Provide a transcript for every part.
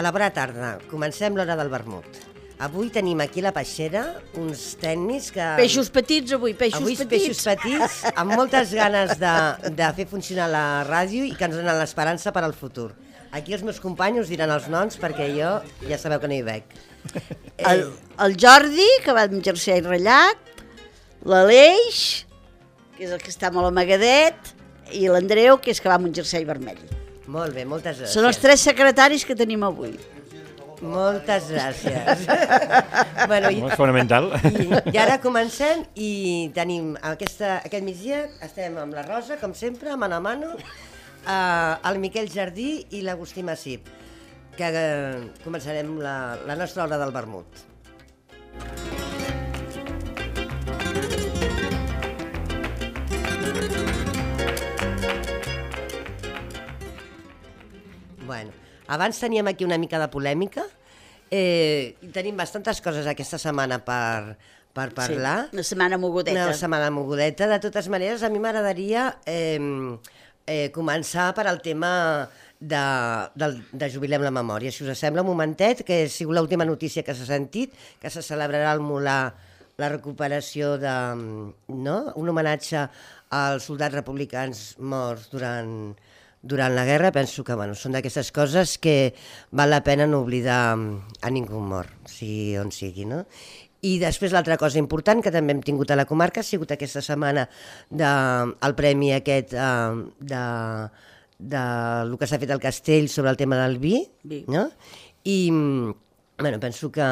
A la bona tarda, comencem l'hora del vermut. Avui tenim aquí a la peixera uns tècnics que... Peixos petits avui, Avui peixos petits, amb moltes ganes de fer funcionar la ràdio i que ens donen l'esperança per al futur. Aquí els meus companys us diran els noms perquè jo ja sabeu que no hi veig. El Jordi, que va amb jersei ratllat, l'Aleix, que és el que està molt amagadet, i l'Andreu, que és que va amb un jersei vermell. Molt bé, moltes gràcies. Són els 3 secretaris que tenim avui. Moltes gràcies. Bueno, és fonamental. I ara comencem i tenim aquest migdia, estem amb la Rosa, com sempre, mano a mano, el Miquel Jardí i l'Agustí Massip, que començarem la nostra hora del vermut. Bueno, abans teníem aquí una mica de polèmica i tenim bastantes coses aquesta setmana per parlar. Sí, una setmana mogudeta. Una setmana mogudeta. De totes maneres, a mi m'agradaria començar per al tema de Jubilem la Memòria. Si us sembla un momentet, que ha sigut l'última notícia que s'ha sentit, que se celebrarà al Molar la recuperació un homenatge als soldats republicans morts durant la guerra. Penso que són d'aquestes coses que val la pena no oblidar a ningú mort, sigui on sigui, no? I després l'altra cosa important que també hem tingut a la comarca ha sigut aquesta setmana el premi aquest del que s'ha fet al Castell sobre el tema del vi, no? I penso que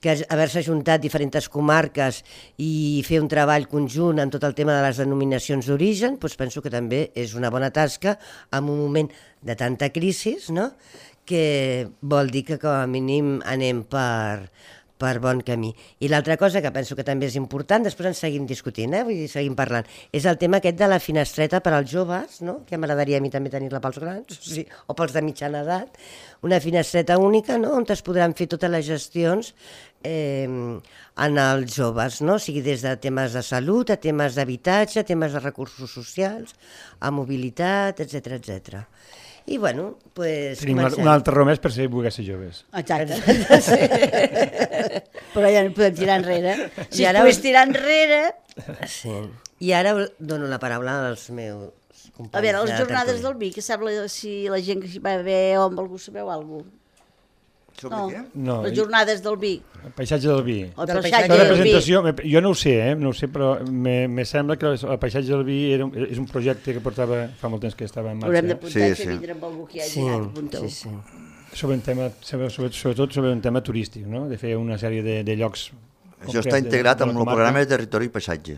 haver-se ajuntat diferents comarques i fer un treball conjunt en tot el tema de les denominacions d'origen, penso que també és una bona tasca en un moment de tanta crisi, no? Que vol dir que com a mínim anem per bon camí. I l'altra cosa que penso que també és important, després en seguim discutint, vull dir, seguim parlant, és el tema aquest de la finestreta per als joves, no? Que m'agradaria a mi també tenir-la pels grans, o pels de mitjana edat, una finestreta única, no? On es podran fer totes les gestions en els joves, no? O sigui, des de temes de salut, a temes d'habitatge, a temes de recursos socials, a mobilitat, etc etc. I bueno, doncs... Tenim un altre raó més per ser volguer ser joves. Exacte. Però ja no podem tirar enrere. Si pogués tirar enrere... Sí. I ara dono la paraula als meus companys. A veure, les jornades del vi, que sembla si la gent que hi va haver o amb algú sabeu alguna cosa. No, les jornades del vi. El paisatge del vi. El paisatge del vi. Jo no ho sé, però me sembla que el paisatge del vi és un projecte que portava fa molt temps que estava en marxa. Haurem d'apuntar que vindrà amb algú que hi hagi anat, apunteu. Sobretot sobre un tema turístic, no? De fer una sèrie de llocs... Això està integrat amb el programa de territori i paisatge.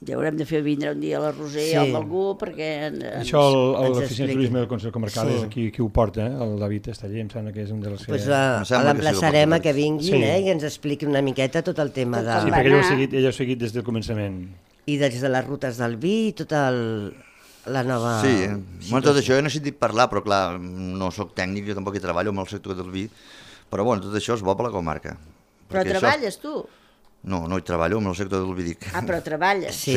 Ja haurem de fer vindre un dia a la Roser o amb algú perquè... Això l'oficina de turisme del Consell Comarcal és qui ho porta, el David Esteller, em sembla que és un dels que... Doncs l'emplaçarem a que vinguin i ens expliqui una miqueta tot el tema de... Sí, perquè ell ho ha seguit des del començament. I des de les rutes del vi i tota la nova... Sí, tot això he sentit parlar, però clar, no soc tècnic, jo tampoc hi treballo amb el sector del vi, però bueno, tot això és bo per la comarca. Però treballes tu? No, no hi treballo, amb el sector del vi dic. Ah, però treballes. Sí.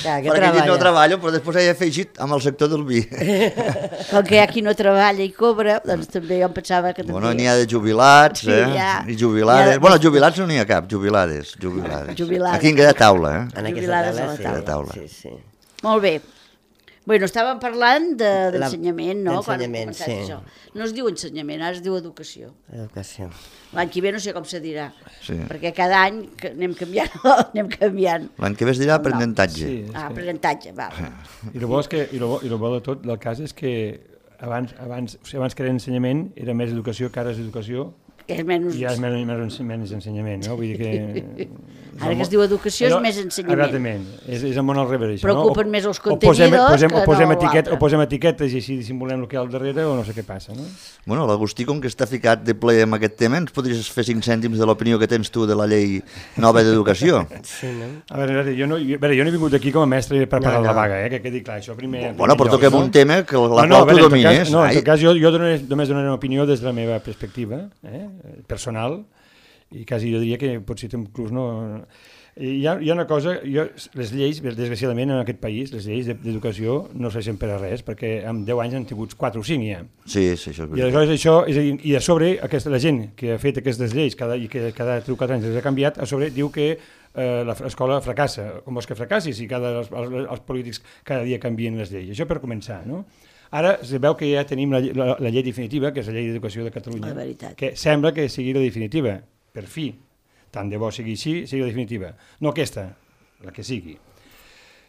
Perquè aquí no treballo, però després he afegit amb el sector del vi. Com que hi ha qui no treballa i cobra, doncs també jo em pensava que també... Bueno, n'hi ha de jubilats, i jubilades. Bueno, jubilats no n'hi ha cap, jubilades. Aquí en cada taula, Jubilades a la taula. Sí. Molt bé. Bueno, estàvem parlant d'ensenyament, no? D'ensenyament, sí. No es diu ensenyament, ara es diu educació. Educació. L'any que ve no sé com se dirà, sí. Perquè cada any anem canviant. L'any que ve es dirà aprenentatge. Sí, aprenentatge, va. I el bo de tot del cas és que abans que era ensenyament era més educació, que ara és educació, és menys... I és menys ensenyament, no? Vull dir que... Ara que es diu educació és més ensenyament. Exactament, és el món al revés. Preocupen més els contenidors o posem etiquetes i així dissimulem el que hi ha al darrere o no sé què passa, no? Bueno, l'Agustí, com que està ficat de ple en aquest tema, ens podries fer 5 cèntims de l'opinió que tens tu de la llei nova d'educació? Sí, no? A veure, jo no he vingut aquí com a mestre per parar la vaga, que quedi clar, això primer... Bueno, però toquem un tema que la qual tu domines. No, en tot cas, jo només donaré una opinió des de la meva perspectiva, personal, i quasi jo diria que potser inclús no... Hi ha una cosa, les lleis, desgraciadament en aquest país, les lleis d'educació no serveixen per a res, perquè en 10 anys han tingut 4 o 5 ja. Sí, això és veritat. I aleshores això, és a dir, i a sobre la gent que ha fet aquestes lleis i que cada 3 o 4 anys les ha canviat, a sobre diu que l'escola fracassa. Com vols que fracassi si els polítics cada dia canvien les lleis? Això per començar, no? Ara es veu que ja tenim la llei definitiva, que és la llei d'educació de Catalunya, que sembla que sigui la definitiva, per fi. Tant de bo sigui així, sigui la definitiva. No aquesta, la que sigui.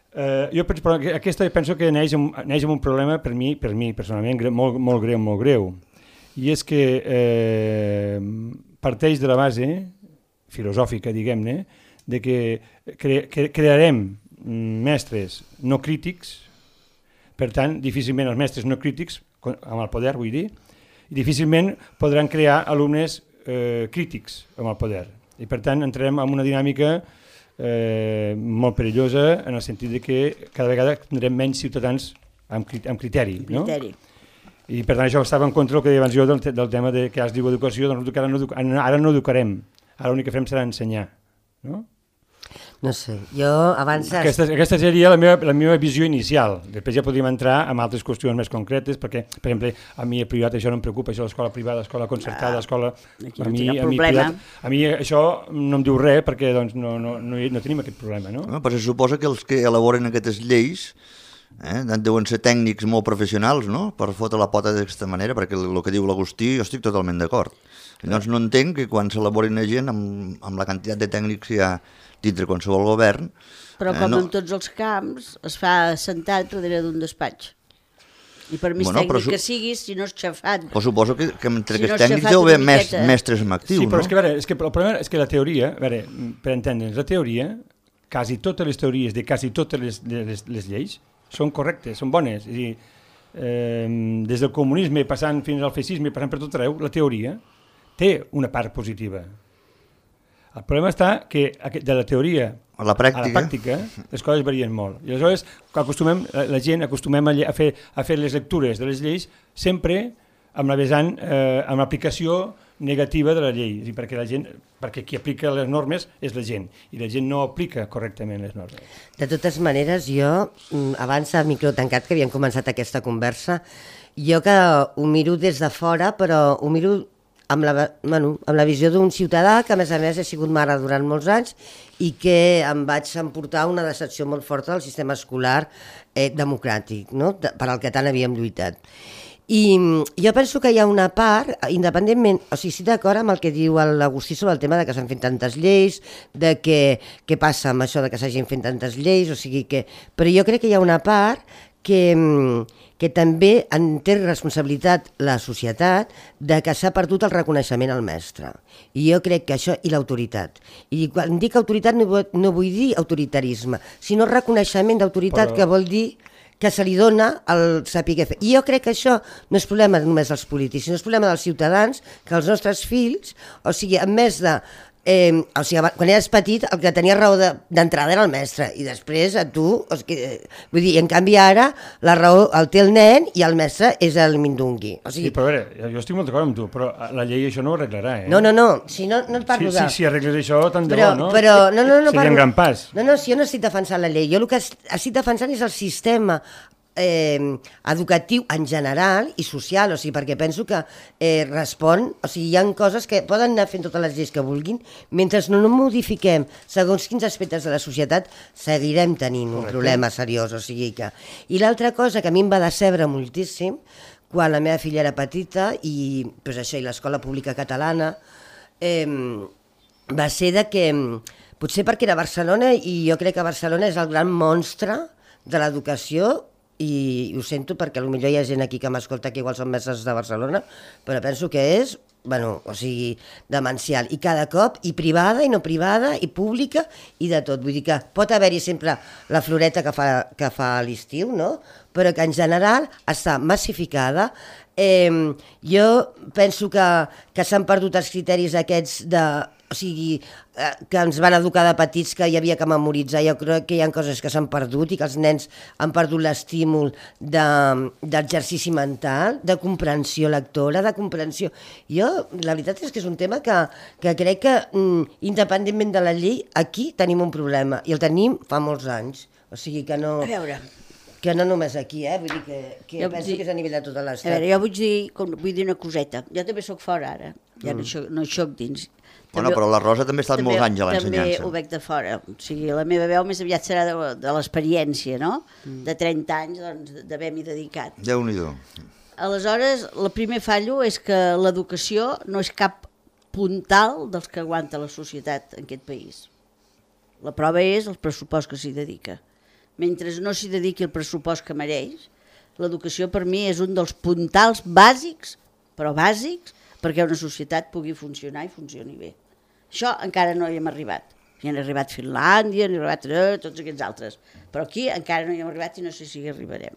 Però aquesta penso que neix amb un problema per mi personalment molt greu. I és que parteix de la base filosòfica, diguem-ne, de que crearem mestres no crítics. Per tant, difícilment els mestres no crítics, amb el poder vull dir, difícilment podran crear alumnes crítics amb el poder. I per tant entrem en una dinàmica molt perillosa en el sentit de que cada vegada tindrem menys ciutadans amb criteri. No? I per tant això estava en contra del que deia abans jo del tema de que es diu educació, doncs ara no educarem, ara l'únic que farem serà ensenyar. No? No sé, jo abans... Aquesta seria la meva visió inicial. Després ja podríem entrar en altres qüestions més concretes, perquè, per exemple, a mi el privat això no em preocupa, això l'escola privada, l'escola concertada, l'escola... A mi això no em diu res, perquè doncs, no tenim aquest problema. No? Però se suposa que els que elaboren aquestes lleis deuen ser tècnics molt professionals, no?, per fotre la pota d'aquesta manera, perquè el que diu l'Agustí jo estic totalment d'acord. Llavors no entenc que quan s'elaborin la gent amb la quantitat de tècnics que hi ha dintre qualsevol govern... Però com en tots els camps, es fa sentat darrere d'un despatx. I per més tècnic que siguis, si no és xafat... Però suposo que entre aquests tècnics deu haver mestres en actiu, no? Sí, però és que el problema és que la teoria, per entendre'ns, la teoria, quasi totes les teories de quasi totes les lleis són correctes, són bones. És a dir, des del comunisme passant fins al feixisme, passant per tot arreu, la teoria té una part positiva. El problema està que de la teoria a la pràctica les coses varien molt. I aleshores la gent acostumem a fer les lectures de les lleis sempre amb la vessant, amb l'aplicació negativa de la llei, perquè qui aplica les normes és la gent, i la gent no aplica correctament les normes. De totes maneres, jo, abans de micro tancat, que havíem començat aquesta conversa, jo que ho miro des de fora, però ho miro amb la visió d'un ciutadà que, a més he sigut mare durant molts anys i que em vaig emportar una decepció molt forta del sistema escolar democràtic, no?, per al que tant havíem lluitat. I jo penso que hi ha una part, independentment, o sigui, estic d'acord amb el que diu l'Agustí sobre el tema de que s'han fet tantes lleis, de què passa amb això de que s'hagin fet tantes lleis, o sigui que... Però jo crec que hi ha una part que també en té responsabilitat la societat de que s'ha perdut el reconeixement al mestre. I jo crec que això, i l'autoritat. I quan dic autoritat no vull dir autoritarisme, sinó reconeixement d'autoritat, que vol dir que se li dona el saber fer. I jo crec que això no és problema només dels polítics, sinó és problema dels ciutadans, que els nostres fills, o sigui, en més de... o sigui, quan eres petit el que tenia raó d'entrada era el mestre i després a tu, vull dir, en canvi ara la raó el té el nen i el mestre és el mindungui. Sí, però a veure, jo estic molt d'acord amb tu, però la llei això no ho arreglarà, No, si no et parlo de... Si arregles això, tant de bo, no? Però, no, seria un gran pas. No, si jo no estic defensant la llei, jo el que estic defensant és el sistema educatiu en general i social, o sigui, perquè penso que respon, o sigui, hi ha coses que poden anar fent totes les lleis que vulguin, mentre no modifiquem segons quins aspectes de la societat seguirem tenint un problema seriós, o sigui que... I l'altra cosa que a mi em va decebre moltíssim, quan la meva filla era petita i l'escola pública catalana, va ser de que, potser perquè era Barcelona, i jo crec que Barcelona és el gran monstre de l'educació, i ho sento perquè potser hi ha gent aquí que m'escolta que igual són mestres de Barcelona, però penso que és, o sigui, demencial. I cada cop, i privada, i no privada, i pública, i de tot. Vull dir que pot haver-hi sempre la floreta que fa a l'estiu, no?, però que en general està massificada. Jo penso que s'han perdut els criteris aquests o sigui, que ens van educar de petits que hi havia que memoritzar. Jo crec que hi ha coses que s'han perdut i que els nens han perdut l'estímul d'exercici mental, de comprensió lectora, de comprensió. Jo, la veritat és que és un tema que crec que, independentment de la llei, aquí tenim un problema, i el tenim fa molts anys. O sigui que no... A veure... Que no només aquí, vull dir que penso que és a nivell de tota l'estat. A veure, jo vull dir una coseta. Jo també sóc fora ara, ja no hi soc dins. Bueno, però la Rosa també ha estat molts anys a l'ensenyança. També ho veig de fora. O sigui, la meva veu més aviat serà de l'experiència, no? De 30 anys, doncs, d'haver-m'hi dedicat. Déu-n'hi-do. Aleshores, el primer fallo és que l'educació no és cap puntal dels que aguanta la societat en aquest país. La prova és el pressupost que s'hi dedica. Mentre no s'hi dediqui el pressupost que mereix, l'educació per mi és un dels puntals bàsics, però bàsics, perquè una societat pugui funcionar i funcioni bé. Això encara no hi hem arribat. Hi han arribat Finlàndia, hi han arribat tots aquests altres, però aquí encara no hi hem arribat i no sé si hi arribarem.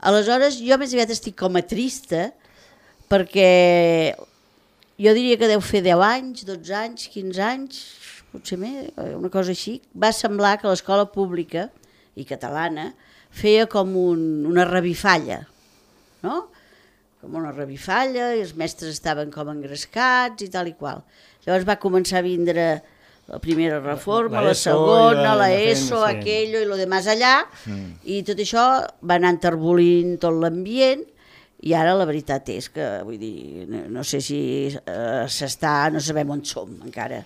Aleshores, jo més aviat estic com a trista, perquè jo diria que deu fer 10 anys, 12 anys, 15 anys, potser més, una cosa així. Va semblar que l'escola pública i catalana feia com una revifalla, no? Com una revifalla, i els mestres estaven com engrescats i tal i qual. Llavors va començar a vindre la primera reforma, la segona, la ESO, aquello i lo de més allà, i tot això va anar enterbolint tot l'ambient, i ara la veritat és que, vull dir, no sé si no sabem on som encara.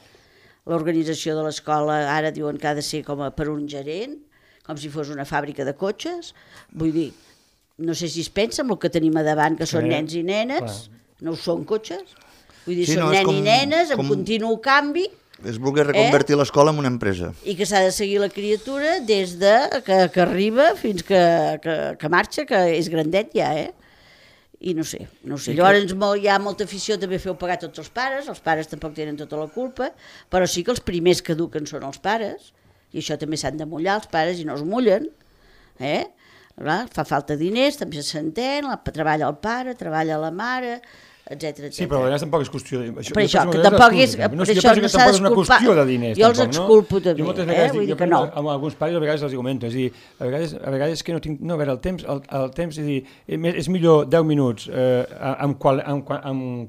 L'organització de l'escola ara diuen que ha de ser com per un gerent, com si fos una fàbrica de cotxes. Vull dir, no sé si es pensa en el que tenim a davant, que són nens i nenes, no ho són cotxes. Vull dir, són nens i nenes, amb continu canvi. És voler reconvertir l'escola en una empresa. I que s'ha de seguir la criatura des de que arriba fins que marxa, que és grandet ja, I no sé. Llavors hi ha molta afició també a fer-ho pagar tots els pares tampoc tenen tota la culpa, però sí que els primers que eduquen són els pares, i això també s'han de mullar els pares i no es mullen, fa falta diners, també s'entén, treballa el pare, treballa la mare, etc. Sí, però a vegades tampoc és qüestió de... Per això, que tampoc és... Jo penso que tampoc és una qüestió de diners. Jo els exculpo també, Jo moltes vegades vull dir que no. Amb alguns pares a vegades els comento, és a dir, a vegades que no tinc... No, a veure, el temps, és a dir, és millor 10 minuts amb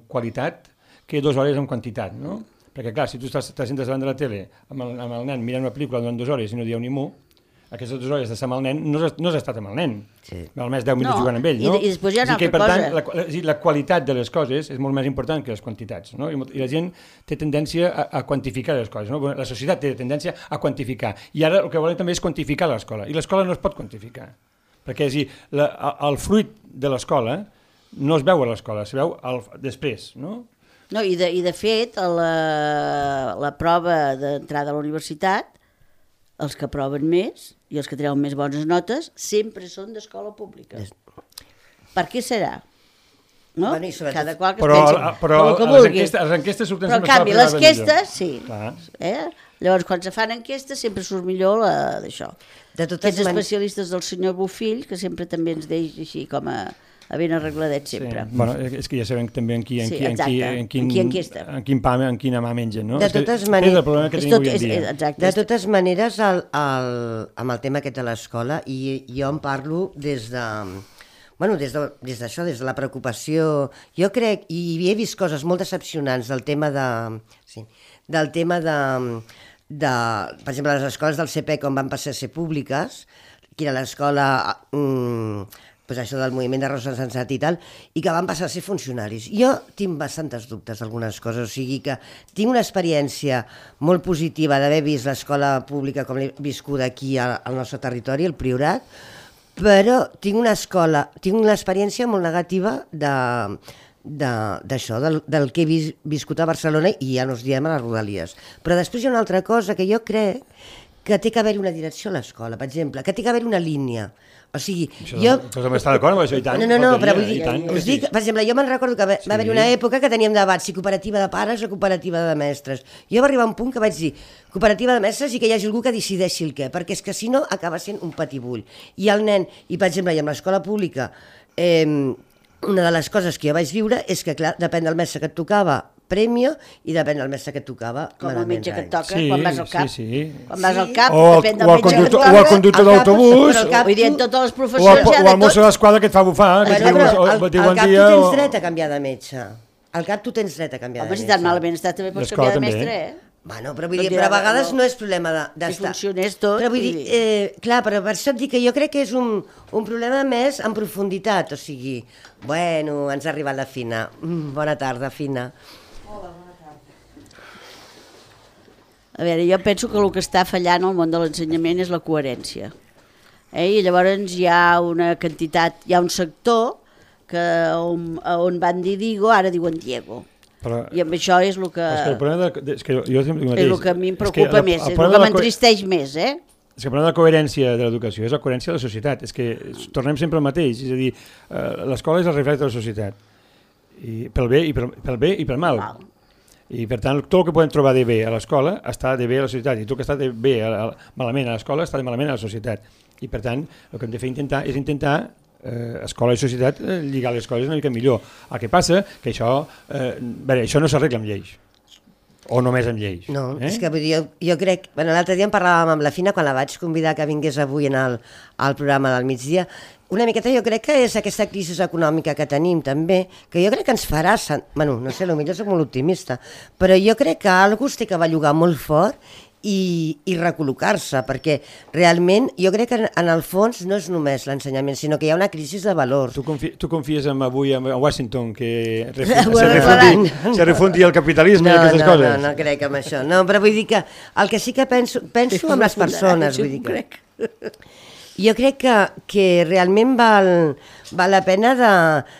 qualitat que 2 hores amb quantitat, no? Perquè clar, si tu estàs sentes davant de la tele amb el nen mirant una pel·lícula durant 2 hores i no dieu ni mu, aquestes 2 hores d'estar amb el nen no has estat amb el nen, almenys 10 minuts jugant amb ell, no? I després hi ha una altra cosa. Per tant, la qualitat de les coses és molt més important que les quantitats, no? I la gent té tendència a quantificar les coses, no? La societat té tendència a quantificar, i ara el que volen també és quantificar l'escola, i l'escola no es pot quantificar, perquè és a dir, el fruit de l'escola no es veu a l'escola, es veu després, no? No, i de fet, la prova d'entrada a la universitat, els que aproven més i els que treuen més bones notes sempre són d'escola pública. Per què serà? No? Bueno, cada qual que es pensi el que vulgui. Les enquestes surten però en canvi, les enquestes, sí. Clar. Llavors, quan se fan enquestes, sempre surt millor d'això. Aquests especialistes del senyor Bofill, que sempre també ens deix així com a ben arregladet sempre. Sí. Bueno, és que ja sabem també en quina mà mengen, no? De totes maneres, és el problema que tenim avui en dia. De totes maneres, amb el tema aquest de l'escola, i jo en parlo des d'això, des de la preocupació. Jo crec, i he vist coses molt decepcionants del tema de per exemple, les escoles del CPEC on van passar a ser públiques, que era l'escola pues això del moviment de Rosa Sensat i tal, i que van passar a ser funcionaris. Jo tinc bastantes dubtes d'algunes coses, o sigui que tinc una experiència molt positiva d'haver vist l'escola pública com l'he viscuda aquí al nostre territori, el Priorat, però tinc una experiència molt negativa d'això, del que he viscut a Barcelona, i ja no us diem a les Rodalies. Però després hi ha una altra cosa que jo crec que té que haver una direcció a l'escola, per exemple, que té que haver una línia. O sigui, jo... Però també està d'acord amb això, i tant. No, però vull dir, us dic, per exemple, jo me'n recordo que va haver una època que teníem debat si cooperativa de pares o cooperativa de mestres. Jo va arribar a un punt que vaig dir cooperativa de mestres i que hi hagi algú que decideixi el què, perquè és que si no acaba sent un patibull. I el nen, i per exemple, i amb l'escola pública, una de les coses que jo vaig viure és que, clar, depèn del mestre que et tocava, premio i depèn del mestre que et tocava. Com el metge que et toca Sí, quan vas al cap. sí. Quan vas al cap, O depèn del metge que et o toca. el conductor d'autobús, Vull dir, en totes les o professions hi ha el de mosso tot. d'esquadra que et fa bufar, que et diu Al diu bon cap tu dia... tens dret a canviar de metge. Al cap tu tens dret a canviar de Home, si metge. tan malament està, també pots L'escola canviar de també. mestre, eh? Bueno, però vull Tot dir, dirà, però a vegades no. no és problema d'estar... Si funcionés tot, Però vull vull dir, clar, però per això et dic que jo crec que és un problema més en profunditat, o sigui, bueno, ens ha arribat la Fina. Bona tarda, Fina. A veure, jo penso que el que està fallant al món de l'ensenyament és la coherència. I llavors hi ha una quantitat, hi ha un sector que on van dir Digo, ara diuen Diego. Però, I amb això és el que, és que el problema és que jo sempre dic el és mateix. el que a mi em preocupa més, és el que m'entristeix més, eh? És que el problema de la coherència de l'educació és la coherència de la societat. És que tornem sempre al mateix, és a dir, l'escola és el reflex de la societat, i pel bé i pel mal. Val. I per tant, tot el que podem trobar de bé a l'escola està de bé a la societat, i tot el que està de bé malament a l'escola està de malament a la societat. I per tant, el que hem de fer és intentar escola i societat lligar les coses una mica millor. El que passa que això no s'arregla amb lleis, o només amb lleis. No, és que vull dir, jo crec... Bueno, l'altre dia en parlàvem amb la Fina quan la vaig convidar que vingués avui al programa del migdia. Una miqueta jo crec que és aquesta crisi econòmica que tenim també, que jo crec que ens farà... Bueno, no sé, potser soc molt optimista, però jo crec que algú es té que bellugar molt fort i recol·locar-se, perquè realment jo crec que en el fons no és només l'ensenyament, sinó que hi ha una crisi de valors. Tu confies avui a Washington que se refundi el capitalisme i aquestes coses? No crec en això. No, però vull dir que el que sí que penso amb les persones, vull dir que... Jo crec que realment val la pena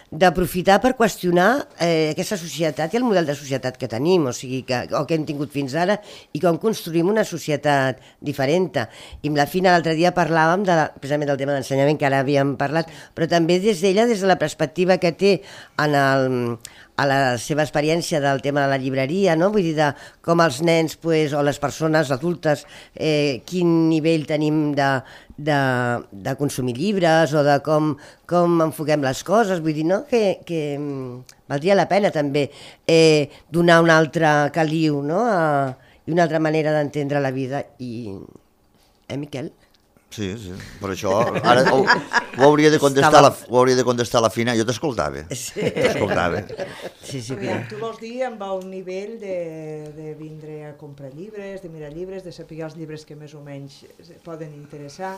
d'aprofitar per qüestionar aquesta societat i el model de societat que tenim, o sigui, o que hem tingut fins ara, i com construïm una societat diferent. I amb la Fina l'altre dia parlàvem precisament del tema d'ensenyament, que ara havíem parlat, però també des d'ella, des de la perspectiva que té a la seva experiència del tema de la llibreria, no? Vull dir, de com els nens o les persones adultes, quin nivell tenim de consumir llibres o de com enfoquem les coses, vull dir, no? Que valdria la pena també donar un altre caliu, no? I una altra manera d'entendre la vida. Miquel? Sí, per això ara ho hauria de contestar la Fina. Jo t'escoltava. T'escoltava. Tu vols dir amb el nivell de vindre a comprar llibres, de mirar llibres, de saber els llibres que més o menys poden interessar.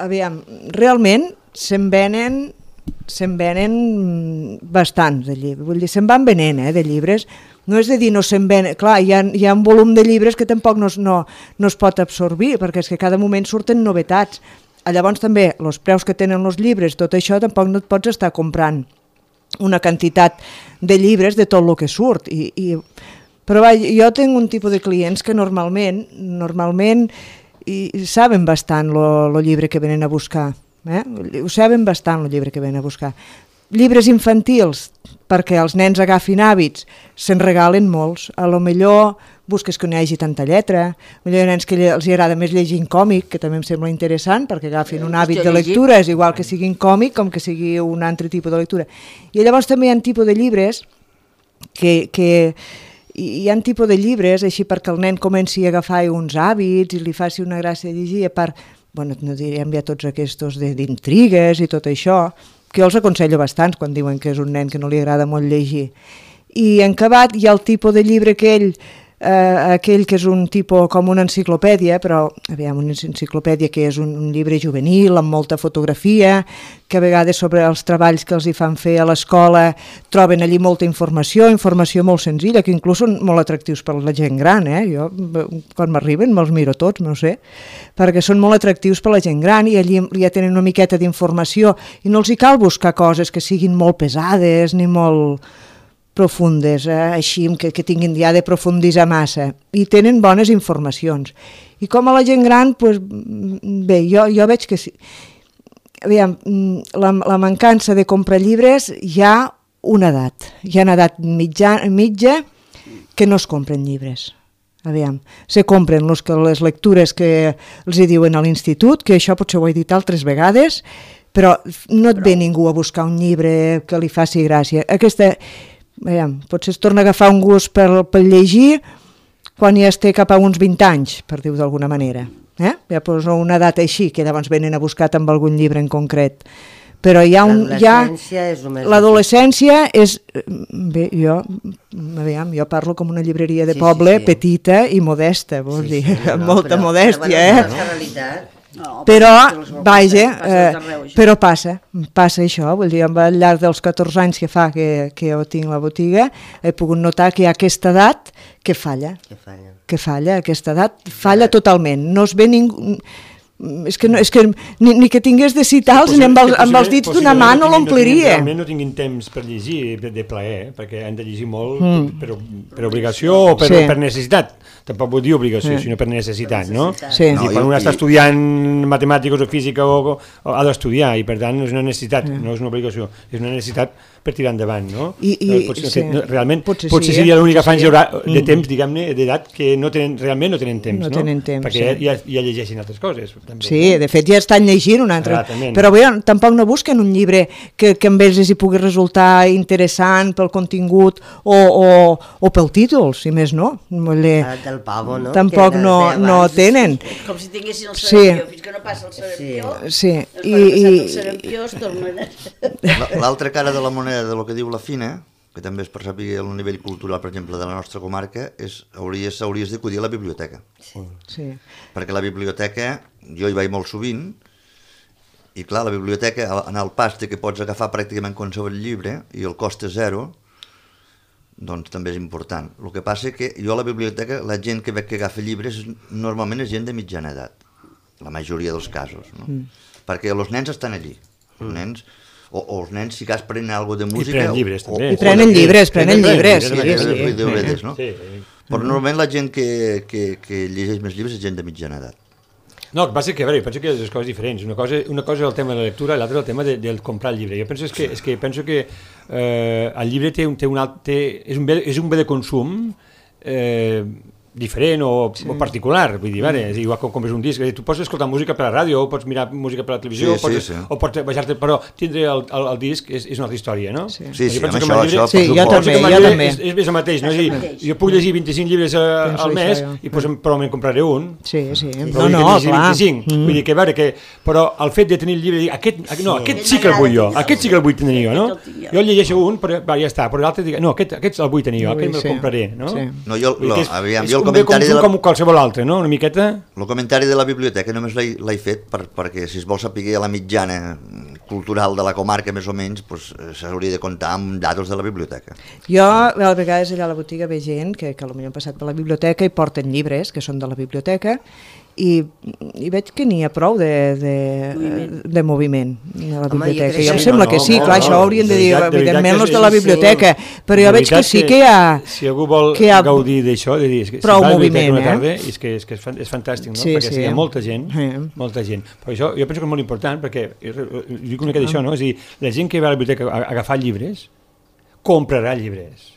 Aviam, realment se'n venen bastants de llibres, vull dir, se'n van venent de llibres. No és de dir no se'n venen, clar, hi ha un volum de llibres que tampoc no es pot absorbir, perquè és que cada moment surten novetats. Llavors també, els preus que tenen els llibres, tot això tampoc no et pots estar comprant una quantitat de llibres de tot el que surt. Però jo tinc un tipus de clients que normalment saben bastant el llibre que venen a buscar. Ho saben bastant el llibre que venen a buscar. Llibres infantils, perquè els nens agafin hàbits, se'n regalen molts. A lo millor busques que no hi hagi tanta lletra, hi ha nens que els agrada més llegir en còmic, que també em sembla interessant, perquè agafin un hàbit de lectura, és igual que sigui en còmic com que sigui un altre tipus de lectura. I llavors també hi ha tipus de llibres hi ha tipus de llibres així perquè el nen comenci a agafar uns hàbits i li faci una gràcia de llegir, a part, bueno, no direm ja tots aquests d'intrigues i tot això, que jo els aconsello bastants quan diuen que és un nen que no li agrada molt llegir. I en acabat hi ha el tipus de llibre aquell que és un tipus com una enciclopèdia, però aviam, una enciclopèdia que és un llibre juvenil amb molta fotografia, que a vegades sobre els treballs que els hi fan fer a l'escola troben allí molta informació molt senzilla, que inclús són molt atractius per la gent gran. Jo, quan m'arriben, me'ls miro tots, no sé, perquè són molt atractius per la gent gran i allí ja tenen una miqueta d'informació i no els hi cal buscar coses que siguin molt pesades ni molt profundes, així que tinguin ja de profunditzar massa, i tenen bones informacions. I com a la gent gran, bé, jo veig que sí. Aviam, la mancança de comprar llibres hi ha una edat mitja que no es compren llibres. Aviam, se compren les lectures que els hi diuen a l'institut, que això potser ho he dit altres vegades, però no et ve ningú a buscar un llibre que li faci gràcia. potser es torna a agafar un gust per llegir quan ja es té cap a uns 20 anys, per dir-ho d'alguna manera. Ja posa una data així, que llavors venen a buscar amb algun llibre en concret. Però hi ha l'adolescència és... Bé, jo parlo com una llibreria de poble, petita i modesta, vols dir, amb molta modèstia, però, vaja, però passa això, vull dir, al llarg dels 14 anys que fa que jo tinc la botiga, he pogut notar que hi ha aquesta edat que falla, aquesta edat falla totalment, no es ve ningú... És que ni que tingués de citals ni amb els dits d'una mà no l'ompliria. Realment no tinguin temps per llegir de plaer, perquè han de llegir molt per obligació o per necessitat. Tampoc vull dir obligació, sinó per necessitat, no? Sí. Quan un està estudiant matemàtiques o física ha d'estudiar i per tant és una necessitat, no és una obligació, és una necessitat per tirar endavant, no? Realment potser seria l'única franja de temps, diguem-ne, d'edat que realment no tenen temps, no? Perquè ja llegeixin altres coses. Sí, de fet ja estan llegint un altre. Però bé, tampoc no busquen un llibre que amb ells els hi pugui resultar interessant pel contingut o pel títol, si més no. Del pavo, no? Tampoc no tenen. Com si tinguessin el sarampió, fins que no passa el sarampió. Sí. El sarampió es tornen... L'altra cara de la moneda de lo que diu la Fina, que també es percebi el nivell cultural, per exemple, de la nostra comarca, hauries d'acudir a la biblioteca. Sí. Perquè la biblioteca, jo hi vaig molt sovint, i clar, la biblioteca, en el pas que pots agafar pràcticament qualsevol llibre, i el cost és zero, doncs també és important. El que passa que jo a la biblioteca, la gent que veig que agafa llibres, normalment és gent de mitjana edat, la majoria dels casos, no? Perquè els nens estan allí, els nens... O els nens, si cas, prenen alguna cosa de música... I prenen llibres, també. I prenen llibres. DVDs, no? Però normalment la gent que llegeix més llibres és gent de mitjana edat. No, el que passa és que, a veure, penso que hi ha dues coses diferents. Una cosa és el tema de la lectura i l'altra és el tema de comprar el llibre. Jo penso que el llibre és un bé de consum diferent o particular, vull dir, és igual que compres un disc, tu pots escoltar música per la ràdio, o pots mirar música per la televisió, o pots baixar-te, però tindre el disc és una altra història, no? Sí, jo també. És el mateix, no? Jo puc llegir 25 llibres al mes i probablement compraré un. Sí. No, clar. Vull dir que, però el fet de tenir el llibre, aquest sí que el vull jo, aquest sí que el vull tenir jo, no? Jo llegeixo un, però ja està, però l'altre dic, no, aquest el vull tenir jo, aquest me'l compraré, no? No, aviam, un bé consum com qualsevol altre, no? Una miqueta... El comentari de la biblioteca només l'he fet perquè si es vol saber la mitjana cultural de la comarca més o menys, s'hauria de comptar amb datos de la biblioteca. Jo a vegades allà a la botiga veig gent que potser han passat per la biblioteca i porten llibres que són de la biblioteca i veig que n'hi ha prou de moviment a la biblioteca. Jo em sembla que sí, clar, això haurien de dir, evidentment, els de la biblioteca, però jo veig que sí que hi ha... Si algú vol gaudir d'això, de dir, prou moviment, és que és fantàstic, no? Perquè hi ha molta gent, però això jo penso que és molt important, perquè dic una mica d'això, no? És a dir, la gent que va a la biblioteca a agafar llibres, comprarà llibres.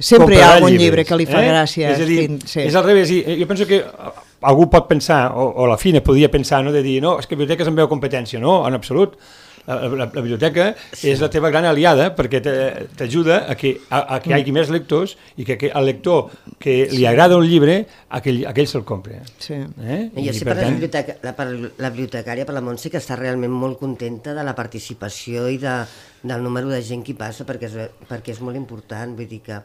Sempre hi ha algun llibre que li fa gràcia. És a dir, és al revés, jo penso que algú pot pensar, o la Fina podria pensar, de dir, no, és que la biblioteca és en veu competència, no, en absolut. La biblioteca és la teva gran aliada perquè t'ajuda a que hi hagi més lectors i que el lector que li agrada un llibre, aquell se'l compra. Jo sé per la bibliotecària, per la Montse, que està realment molt contenta de la participació i del número de gent que hi passa perquè és molt important, vull dir que...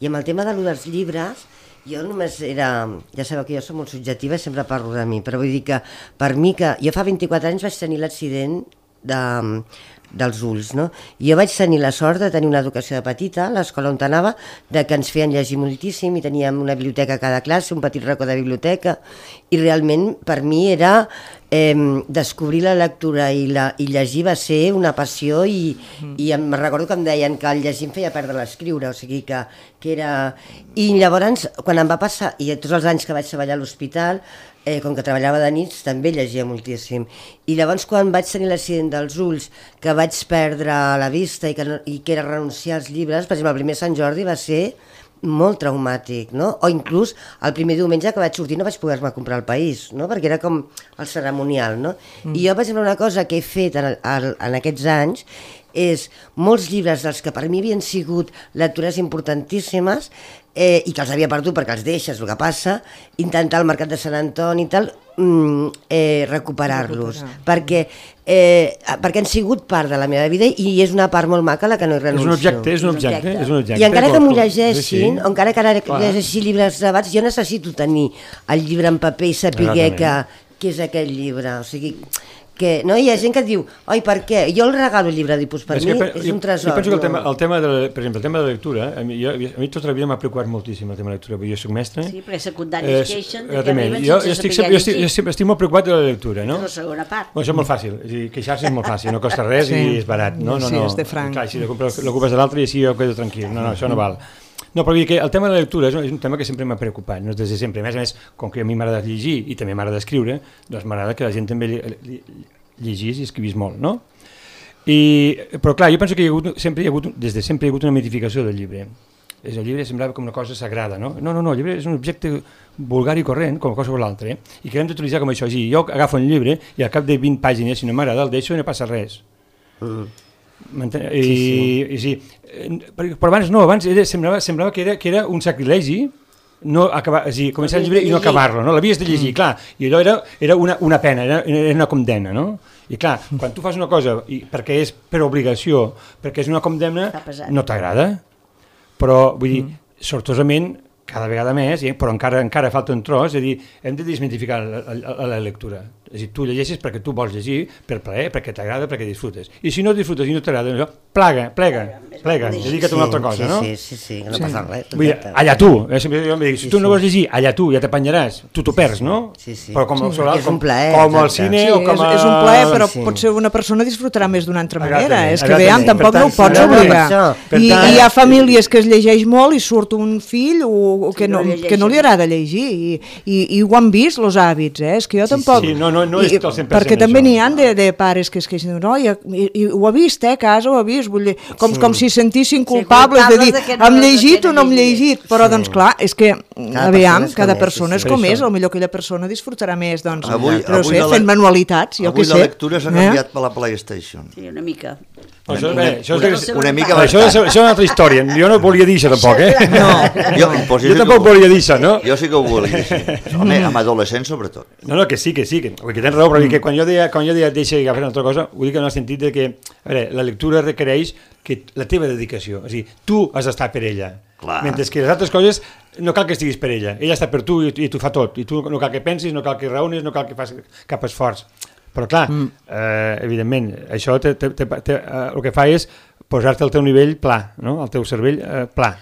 I amb el tema dels llibres, jo només era... Ja sabeu que jo soc molt subjectiva i sempre parlo de mi, però vull dir que per mi que... Jo fa 24 anys vaig tenir l'accident dels ulls, no? Jo vaig tenir la sort de tenir una educació de petita, a l'escola on anava, de que ens feien llegir moltíssim i teníem una biblioteca a cada classe, un petit racó de biblioteca, i realment per mi era descobrir la lectura i llegir va ser una passió i em recordo que em deien que el llegir em feia perdre l'escriure, o sigui que era... I llavors, quan em va passar, i tots els anys que vaig treballar a l'hospital, com que treballava de nits, també llegia moltíssim. I llavors, quan vaig tenir l'accident dels ulls, que vaig perdre la vista i que era renunciar als llibres, per exemple, el primer Sant Jordi va ser molt traumàtic, no? O inclús el primer diumenge que vaig sortir no vaig poder-me comprar El País, no? Perquè era com el ceremonial, no? I jo, per exemple, una cosa que he fet en aquests anys és molts llibres dels que per mi havien sigut lectures importantíssimes i que els havia perdut perquè els deixes, el que passa, intentar al Mercat de Sant Antoni i tal, recuperar-los, perquè han sigut part de la meva vida i és una part molt maca la que no hi renuncio. És un objecte. I encara que m'ho llegeixin, o encara que ara llegeixi llibres gravats, jo necessito tenir el llibre en paper i saber què és aquest llibre, o sigui... que no hi ha gent que et diu, oi, per què? Jo el regalo el llibre d'Ipus, per mi és un tresor. Jo penso que el tema de la lectura, a mi tota la vida m'ha preocupat moltíssim el tema de la lectura, perquè jo soc mestre. Sí, perquè secundaris es queixen que arriben jo sense saber llegir. Jo estic molt preocupat de la lectura, no? És la segona part. Això és molt fàcil, queixar-se és molt fàcil, no costa res i és barat. Sí, és de franc. Clar, si l'ocupes de l'altre i així jo quedo tranquil. No, això no val. No, però vull dir que el tema de la lectura és un tema que sempre m'ha preocupat, no des de sempre. A més, com que a mi m'agrada llegir i també m'agrada escriure, doncs m'agrada que la gent també llegís i escrivís molt, no? Però clar, jo penso que des de sempre hi ha hagut una mitificació del llibre. El llibre semblava com una cosa sagrada, no? No, el llibre és un objecte vulgar i corrent, com qualsevol altre, i que hem d'utilitzar com això. Jo agafo un llibre i al cap de 20 pàgines, si no m'agrada, el deixo i no passa res. Però abans semblava que era un sacrilegi començar el llibre i no acabar-lo, no? L'havies de llegir, clar, i allò era una pena, era una condemna, no? I clar, quan tu fas una cosa perquè és per obligació, perquè és una condemna, no t'agrada, però vull dir, sortosament, cada vegada més, però encara falta un tros, és a dir, hem de desmitificar la lectura. És a dir, tu llegeixes perquè tu vols llegir, per plaer, perquè t'agrada, perquè disfrutes. I si no disfrutes i no t'agrada, plega, dedica't a una altra cosa, no? Sí, no passa res. Vull dir, allà tu, sempre jo em dic, si tu no vols llegir, allà tu, ja t'apanyaràs, tu t'ho perds, no? Sí. Però com al cine o com a... És un plaer, però potser una persona disfrutarà més d'una altra manera. És que veiem, tampoc no ho pots obligar. I hi ha famílies que es llegeix molt i surt un fill que no li agrada llegir i ho han vist, els hàbits, és que jo tampoc... No és el 100% perquè també n'hi ha de pares que es queixen, no, i ho ha vist, a casa ho ha vist, vull dir, com si sentissin culpables de dir, hem llegit o no hem llegit, però doncs clar, és que, aviam, cada persona és com és, potser aquella persona disfrutarà més, doncs, fent manualitats, jo què sé. Avui la lectura s'ha canviat per la PlayStation. Sí, una mica. Això és una altra història, jo no volia dir això tampoc, Jo tampoc volia dir això, no? Jo sí que ho volia dir, home, amb adolescents sobretot. No, que sí, que tens raó, però que quan jo deia deixa agafar una altra cosa, ho dic en el sentit de que, a veure, la lectura requereix la teva dedicació, és a dir, tu has d'estar per ella, mentre que les altres coses no cal que estiguis per ella està per tu i t'ho fa tot, i tu no cal que pensis, no cal que raonis, no cal que fas cap esforç. Però clar, evidentment, això el que fa és posar-te al teu nivell pla, no? El teu cervell pla.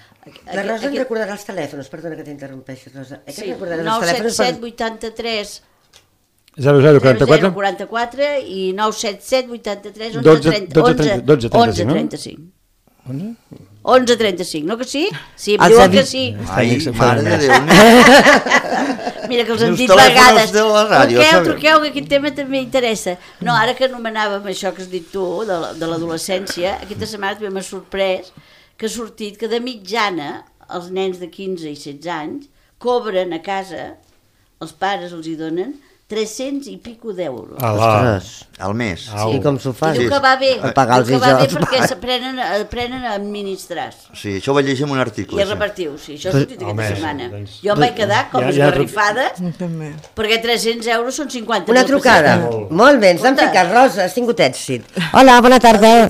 La Rosa em recordarà els telèfons, perdona que t'interrompeixi, Rosa. Sí, 977 83 0044 i 977 83 1135. 11.35, no que sí? Sí, em diuen que sí. Ai, mare de Déu. Mira que els hem dit vegades. Truqueu, que aquest tema també interessa. No, ara que anomenàvem això que has dit tu, de l'adolescència, aquesta setmana també m'ha sorprès que ha sortit que de mitjana els nens de 15 i 16 anys cobren a casa, els pares els hi donen 300 i pico d'euros. Al mes. I com s'ho fa? I diu que va bé, perquè aprenen a administrar. Sí, això ho vaig llegir en un article. I a repartiu, sí, això ha sortit aquesta setmana. Jo em vaig quedar com esgarrifada, perquè 300 euros són 50. Una trucada. Molt bé, ens han ficat, Rosa, has tingut èxit. Hola, bona tarda.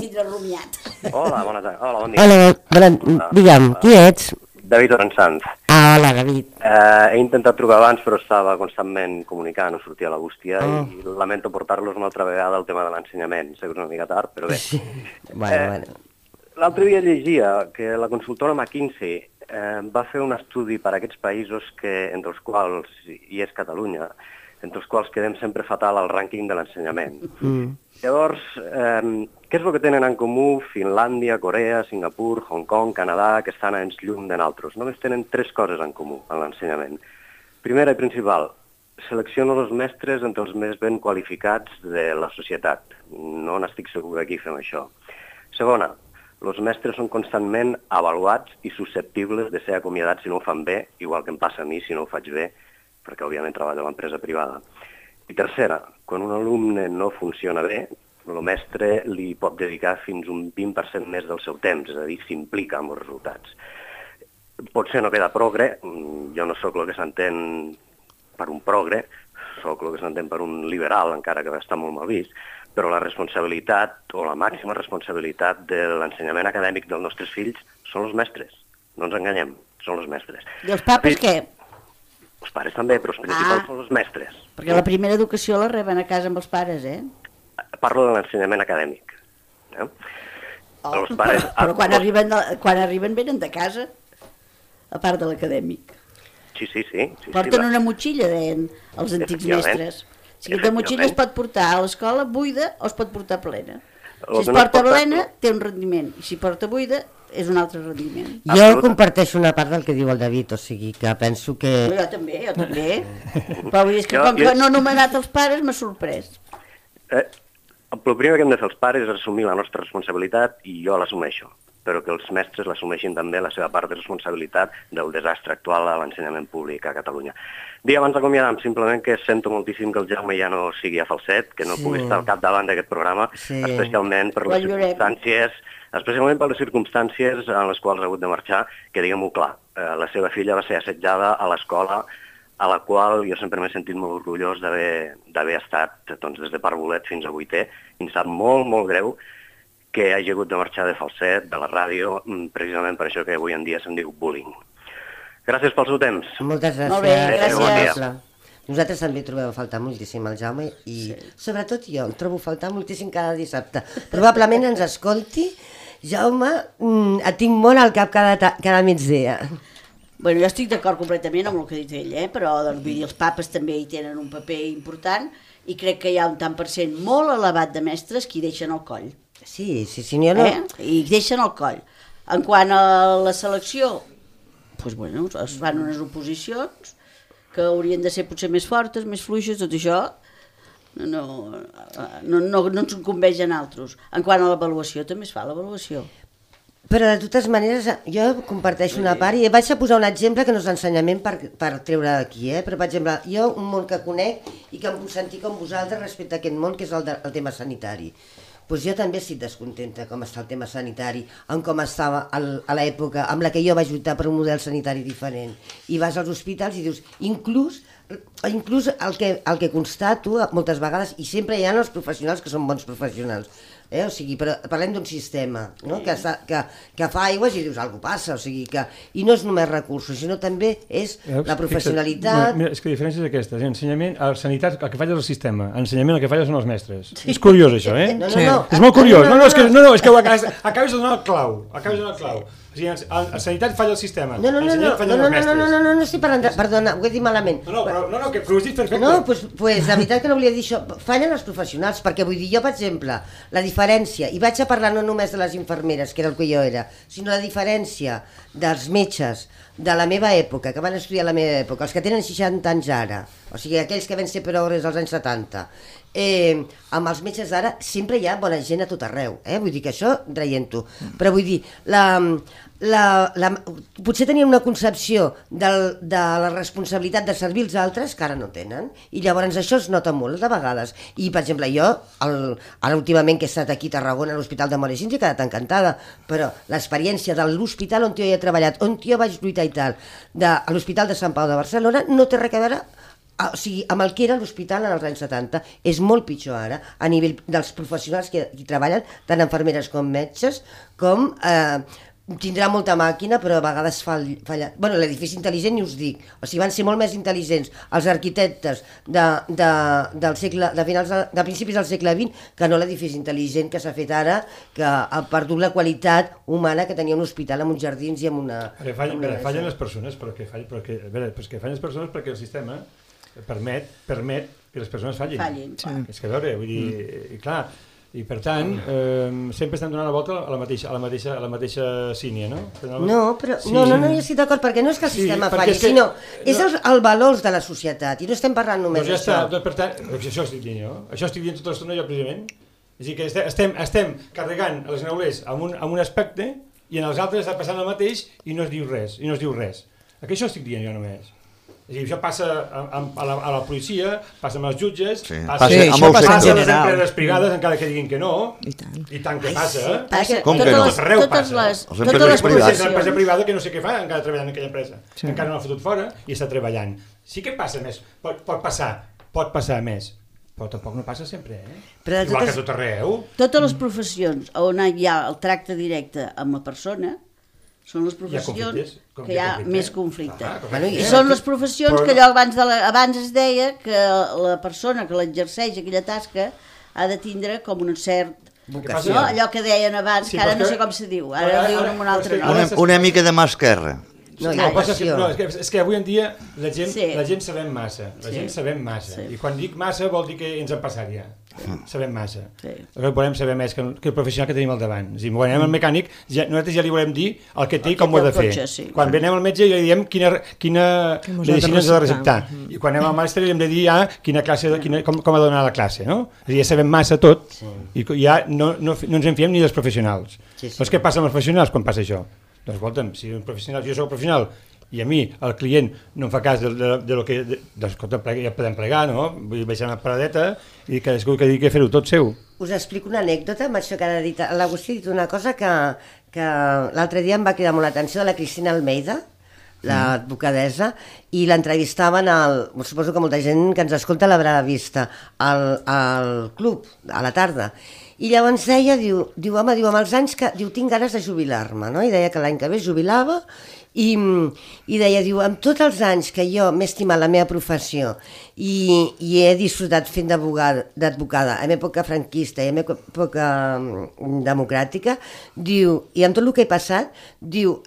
Hola, bona tarda. Hola, bon dia. Hola, digue'm, qui ets? David Orensanz. Hola, David. He intentat trucar abans, però estava constantment comunicant, no sortia la bústia, i lamento portar-los una altra vegada al tema de l'ensenyament. Sé que és una mica tard, però bé. Bueno. L'altre dia llegia que la consultora McKinsey va fer un estudi per a aquests països entre els quals hi és Catalunya, entre els quals quedem sempre fatal al rànquing de l'ensenyament. Llavors, què és el que tenen en comú Finlàndia, Corea, Singapur, Hong Kong, Canadà, que estan anys llum de nosaltres? Només tenen 3 coses en comú en l'ensenyament. Primera i principal, selecciono els mestres entre els més ben qualificats de la societat. No n'estic segur que aquí fem això. Segona, els mestres són constantment avaluats i susceptibles de ser acomiadats si no ho fan bé, igual que em passa a mi si no ho faig bé, perquè òbviament treballo a l'empresa privada. I tercera, quan un alumne no funciona bé, el mestre li pot dedicar fins un 20% més del seu temps, és a dir, s'implica amb els resultats. Potser no queda progre, jo no sóc el que s'entén per un progre, sóc el que s'entén per un liberal, encara que està molt mal vist, però la responsabilitat, o la màxima responsabilitat de l'ensenyament acadèmic dels nostres fills són els mestres. No ens enganyem, són els mestres. I els papes què? Els pares també, però els principals són els mestres. Perquè la primera educació la reben a casa amb els pares, Parlo de l'ensenyament acadèmic. Els pares... Però quan arriben venen de casa, a part de l'acadèmic. Sí. Porten una motxilla, deien els antics mestres. O sigui, la motxilla es pot portar a l'escola buida o es pot portar plena. Si es porta plena, té un rendiment. I si porta buida, és un altre rendiment. Jo comparteixo una part del que diu el David, o sigui que penso que... Jo també. Però vull dir que com que no he nomenat els pares, m'ha sorprès. El primer que hem de fer els pares és assumir la nostra responsabilitat i jo l'assumeixo, però que els mestres l'assumeixin també la seva part de responsabilitat del desastre actual a l'ensenyament públic a Catalunya. Dir abans d'acomiadar, simplement que sento moltíssim que el Jaume ja no sigui a Falset, que no pugui estar al capdavant d'aquest programa, especialment per les circumstàncies en les quals ha hagut de marxar, que diguem-ho clar, la seva filla va ser assetjada a l'escola a la qual jo sempre m'he sentit molt orgullós d'haver estat des de Parvulet fins a Vuitè, i em sap molt, molt greu que hagi hagut de marxar de Falset, de la ràdio, precisament per això que avui en dia se'n diu bullying. Gràcies pel seu temps. Moltes gràcies. Molt bé, gràcies. Nosaltres també trobem a faltar moltíssim el Jaume i sobretot jo el trobo a faltar moltíssim cada dissabte. Probablement ens escolti. Jaume, et tinc molt al cap cada migdia. Bueno, jo estic d'acord completament amb el que ha dit ell, però els papes també hi tenen un paper important i crec que hi ha un tant per cent molt elevat de mestres que hi deixen el coll. Sí, jo no... I deixen el coll. En quant a la selecció, doncs bueno, es fan unes oposicions que haurien de ser potser més fortes, més fluixes, tot això no ens incumbeix a nosaltres. En quant a l'avaluació, també es fa l'avaluació. Però de totes maneres, jo comparteixo una part i vaig a posar un exemple que no és l'ensenyament per treure d'aquí, però per exemple, jo un món que conec i que em puc sentir com vosaltres respecte a aquest món, que és el tema sanitari. Doncs jo també estic descontenta com està el tema sanitari, amb com estava a l'època amb la que jo vaig lluitar per un model sanitari diferent. I vas als hospitals i dius, inclús el que constato moltes vegades, i sempre hi ha els professionals que són bons professionals, o sigui, però parlem d'un sistema, no? que fa aigües i dius, alguna cosa passa, o sigui que, i no és només recursos, sinó també és la professionalitat. Mira, és que la diferència és aquesta, ensenyament, a la sanitat el que falla és el sistema, ensenyament el que falla són els mestres. És curiós això, No. És molt curiós, és que acabes de donar el clau, O sigui, a sanitat falla el sistema, ensenyament fallen els mestres. No estic parlant, perdona, ho he dit malament. No, que ho has dit perfecte. No, doncs la veritat que no volia dir això, fallen els professionals, perquè vull dir, jo, per exemple, la diferència, i vaig a parlar no només de les infermeres, que era el que jo era, sinó la diferència dels metges de la meva època, que van estudiar a la meva època, els que tenen 60 anys ara, o sigui, aquells que van ser progres als anys 70, amb els metges d'ara sempre hi ha bona gent a tot arreu, vull dir que això traient-ho, però vull dir, potser tenien una concepció de la responsabilitat de servir els altres que ara no tenen, i llavors això es nota molt de vegades, i per exemple jo ara últimament que he estat aquí a Tarragona a l'Hospital de Moresins he quedat encantada, però l'experiència de l'hospital on jo he treballat, on jo vaig lluitar i tal, a l'Hospital de Sant Pau de Barcelona no té res a veure, o sigui, amb el que era l'hospital en els anys 70, és molt pitjor ara, a nivell dels professionals que hi treballen, tant infermeres com metges, com tindrà molta màquina, però a vegades falla. Bueno, l'edifici intel·ligent, i us dic, o sigui, van ser molt més intel·ligents els arquitectes de principis del segle XX que no l'edifici intel·ligent que s'ha fet ara, que ha perdut la qualitat humana que tenia un hospital amb uns jardins i amb una... Fallen les persones, perquè fallen les persones perquè el sistema permet que les persones fallin. És que a veure, vull dir, clar, i per tant, sempre estem donant la volta a la mateixa sínia, no? No, però no hi estic d'acord, perquè no és que el sistema falli, sinó és el valors de la societat, i no estem parlant només d'això. Per tant, això estic dient jo, això estic dient tota l'estona jo precisament, És a dir, que estem carregant els neulers amb un aspecte i en els altres està passant el mateix i no es diu res, Aquí això estic dient jo només. És a dir, això passa a la policia, passa amb els jutges, passa a les empreses privades, encara que diguin que no, i tant que passa. Com que no? Arreu passa. Totes les professions. L'empresa privada que no sé què fa, encara treballant en aquella empresa. Encara no l'ha fotut fora i està treballant. Sí que passa més, pot passar més, però tampoc no passa sempre, igual que tot arreu. Totes les professions on hi ha el tracte directe amb la persona són les professions que hi ha més conflicte. I són les professions que allò abans es deia que la persona que l'exerceix aquella tasca ha de tindre com un cert... Allò que deien abans, que ara no sé com se diu, ara diuen amb un altre nom. Una mica de mà esquerra. És que avui en dia la gent sabem massa, i quan dic massa vol dir que ens en passat ja. Sabem massa. Volem saber més que el professional que tenim al davant. Quan anem al mecànic, nosaltres ja li volem dir el que té i com ho ha de fer. Quan anem al metge ja li diem quina medicina ens ha de receptar. I quan anem al màster li hem de dir com ha de donar la classe. És a dir, ja sabem massa tot i ja no ens en fiem ni dels professionals. Doncs què passa amb els professionals quan passa això? Doncs escolta'm, si jo soc professional i a mi el client no em fa cas de lo que... Doncs escolta, ja podem plegar, no? Vull baixar una paradeta i cadascú que digui que fer-ho tot seu. Us explico una anècdota amb això que ha dit. L'Agustí ha dit una cosa que l'altre dia em va cridar molt l'atenció de la Cristina Almeida, l'advocadessa, i l'entrevistaven suposo que molta gent que ens escolta l'haurà vista, al club, a la tarda. I llavors deia, diu, home, amb els anys que... Diu, tinc ganes de jubilar-me, no? I deia que l'any que ve jubilava i deia, diu, amb tots els anys que jo m'he estimat la meva professió i he disfrutat fent d'advocada en època franquista i en època democràtica, diu, i amb tot el que he passat, diu,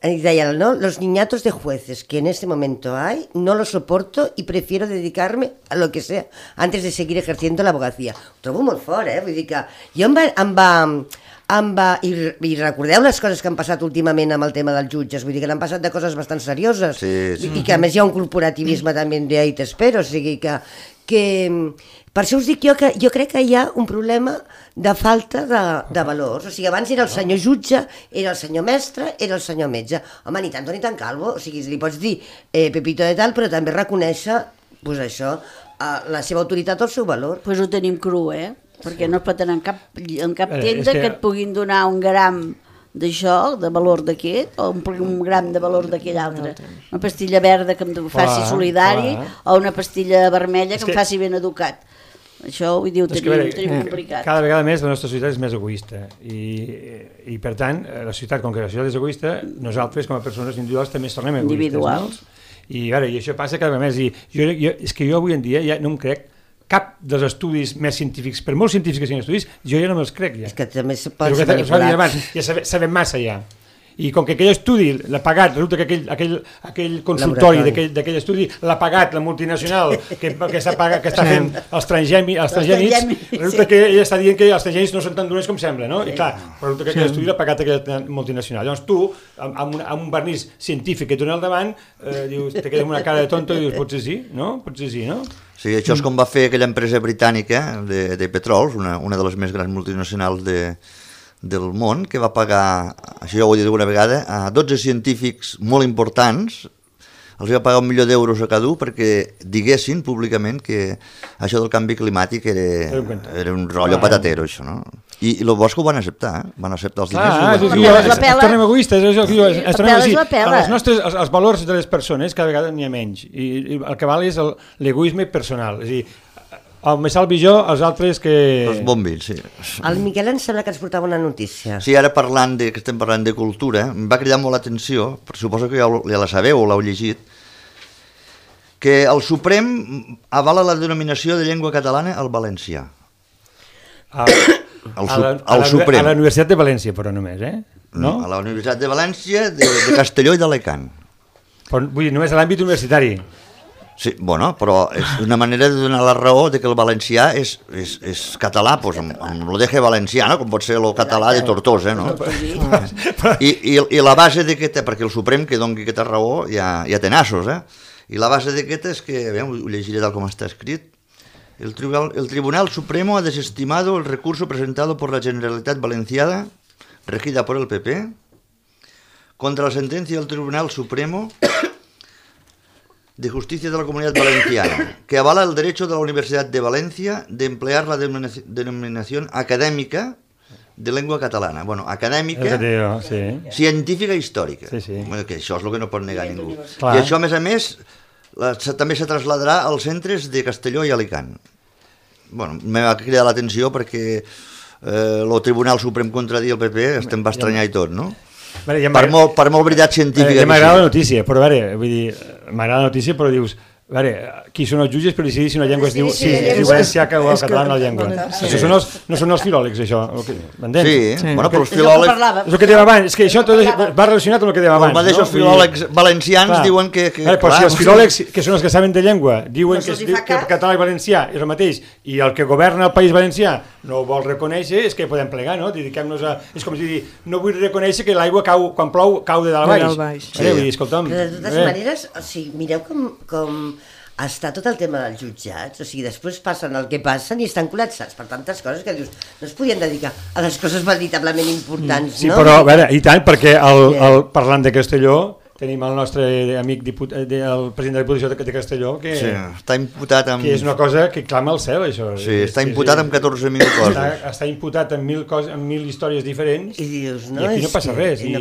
deia, no, los niñatos de jueces que en este momento hay, no los soporto y prefiero dedicarme a lo que sea antes de seguir ejerciendo la abogacía. Ho trobo molt fort, vull dir que jo i recordeu les coses que han passat últimament amb el tema dels jutges, vull dir que n'han passat de coses bastant serioses i que a més hi ha un corporativisme també de ahí t'espero, o sigui que per això us dic jo que jo crec que hi ha un problema de falta de valors, o sigui abans era el senyor jutge, era el senyor mestre, era el senyor metge, home ni tant ni tan calvo, o sigui li pots dir Pepito de tal però també reconèixer pues això, la seva autoritat o el seu valor. Pues ho tenim cru, perquè no es pot anar en cap tenda que et puguin donar un gram d'això, de valor d'aquest, o un gram de valor d'aquell altre. Una pastilla verda que em faci solidari o una pastilla vermella que em faci ben educat. Això, vull dir, ho tenim complicat. Cada vegada més la nostra societat és més egoista i per tant, la societat, com que la societat és egoista, nosaltres com a persones individuals també ens tornem egoistes. Individuals. I això passa cada vegada més. És que jo avui en dia ja no em crec cap dels estudis més científics, per molt científics que siguin estudis, jo ja no me'ls crec ja. És que també se pot manipular. Ja sabem massa ja. I com que aquell estudi l'ha pagat, resulta que aquell consultori d'aquell estudi l'ha pagat la multinacional que està fent els transgènics, resulta que ella està dient que els transgènics no són tan dolents com sembla, no? I clar, resulta que aquell estudi l'ha pagat aquella multinacional. Llavors tu, amb un vernís científic que et dona al davant, te quedes amb una cara de tonto i dius, potser sí, no? Sí, això és com va fer aquella empresa britànica de petrols, una de les més grans multinacionals del món, que va pagar, això ja ho he dit alguna vegada, a 12 científics molt importants, els va pagar 1 milió d'euros a cada un perquè diguessin públicament que això del canvi climàtic era un rotllo patatero, això, no? I el bo és que ho van acceptar, van acceptar els diners. Es tornem egoistes, els valors de les persones cada vegada n'hi ha menys, i el que val és l'egoisme personal, és a dir, me salvi jo, els altres que... Els bombins, sí. El Miquel em sembla que ens portava una notícia. Sí, ara que estem parlant de cultura, em va cridar molt l'atenció, suposo que ja la sabeu o l'heu llegit, que el Suprem avala la denominació de llengua catalana al valencià. Al Suprem. A la Universitat de València, però només, No? A la Universitat de València, de Castelló i d'Alacant. Vull dir, només a l'àmbit universitari. Sí, bueno, però és una manera de donar la raó de que el valencià és català, doncs amb el deje valencià, no? Com pot ser el català de Tortosa, no? I la base d'aquesta, perquè el Suprem que doni aquesta raó ja té nassos, i la base d'aquesta és que, ho llegiré tal com està escrit, El Tribunal Supremo ha desestimado el recurso presentado por la Generalitat Valenciana, regida por el PP, contra la sentencia del Tribunal Supremo de Justicia de la Comunidad Valenciana, que avala el derecho de la Universidad de Valencia de emplear la denominación acadèmica de llengua catalana. Bueno, acadèmica, científica i històrica. Bueno, que això és el que no pot negar ningú. I això, a més, també se traslladarà als centres de Castelló i Alicant. Bueno, m'ha cridat l'atenció perquè el Tribunal Suprem contradir el PP estem va estranyar i tot, no? Per molt veritat científica. Ja m'agrada la notícia, però a veure, vull dir, m'agrada la notícia, però dius, a veure, qui són els jutges per decidir si una llengua es diu valencià o el català en la llengua? Això no són els filòlegs, això, m'entens? Sí, bueno, però els filòlegs... És el que dèiem abans, és que això va relacionat amb el que dèiem abans. Els mateixos filòlegs valencians diuen que... Però si els filòlegs, que són els que saben de llengua, diuen que el català i valencià és el mateix, i el que governa el País Valencià no ho vol reconèixer, és que podem plegar, no? Dediquem-nos a... És com si dir, no vull reconèixer que l'aigua quan plou cau de dalt a baix. Vull dir, escolta'm... De totes maneres, o sigui, mireu com està tot el tema dels jutjats, o sigui, després passen el que passen i estan col·lapsats per tantes coses que dius, no es podien dedicar a les coses veritablement importants, no? Sí, però, a veure, i tant, perquè parlant de Castelló, tenim el nostre amic el president de la Diputació de Castelló, que està imputat amb... Que és una cosa que clama al cel, això. Sí, està imputat amb 14.000 coses. Està imputat amb 1.000 històries diferents i aquí no passa res. I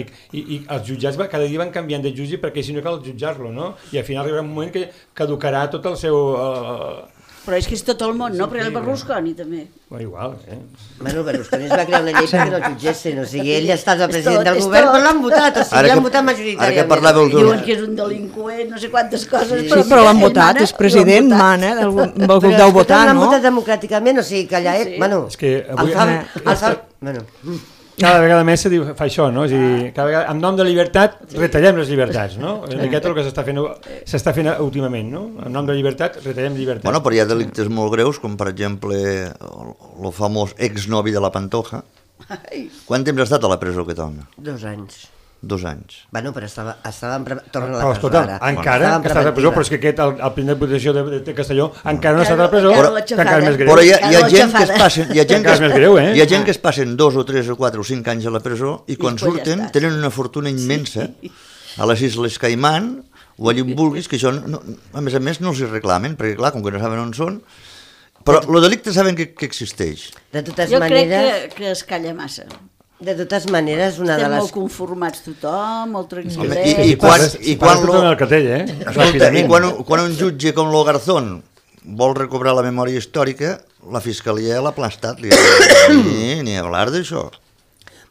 els jutjats cada dia van canviant de jutge perquè si no cal jutjar-lo, no? I al final arribarà un moment que caducarà tot el seu... Però és que és tot el món, no? Però el Berlusconi també. Bueno, igual, Bueno, Berlusconi es va crear una llei perquè no el jutgessin, o sigui, ell està el president del govern, però l'han votat, o sigui, l'han votat majoritàriament. Diuen que és un delinqüent, no sé quantes coses... Però l'han votat, és president, mana, deu votar, no? L'han votat democràticament, o sigui, que allà... Bueno, és que avui... Cada vegada més se diu, fa això, no? És a dir, cada vegada, en nom de llibertat, retallem les llibertats, no? És aquest el que s'està fent últimament, no? En nom de llibertat, retallem llibertats. Bueno, però hi ha delictes molt greus, com per exemple el famós exnovi de la Pantoja. Quant temps ha estat a la presó aquest home? 2 anys. 2 anys. Bueno, però torna a la presó ara. Encara que està a la presó, però és que aquest, el primer de Diputació de Castelló, encara no està a la presó, encara és més greu. Però hi ha gent que es passen... Hi ha gent que es passen 2 o 3 o 4 o 5 anys a la presó i quan surten tenen una fortuna immensa a les Isles Caimán o allà on vulguis, que això, a més no els hi reclamen, perquè clar, com que no saben on són, però el delicte saben que existeix. Jo crec que es calla massa. De totes maneres, una de les... Estem molt conformats tothom, molt tranquil·lets. I quan un jutge com lo Garzón vol recobrar la memòria històrica, la Fiscalia l'ha aplastat. Ni hablar d'això.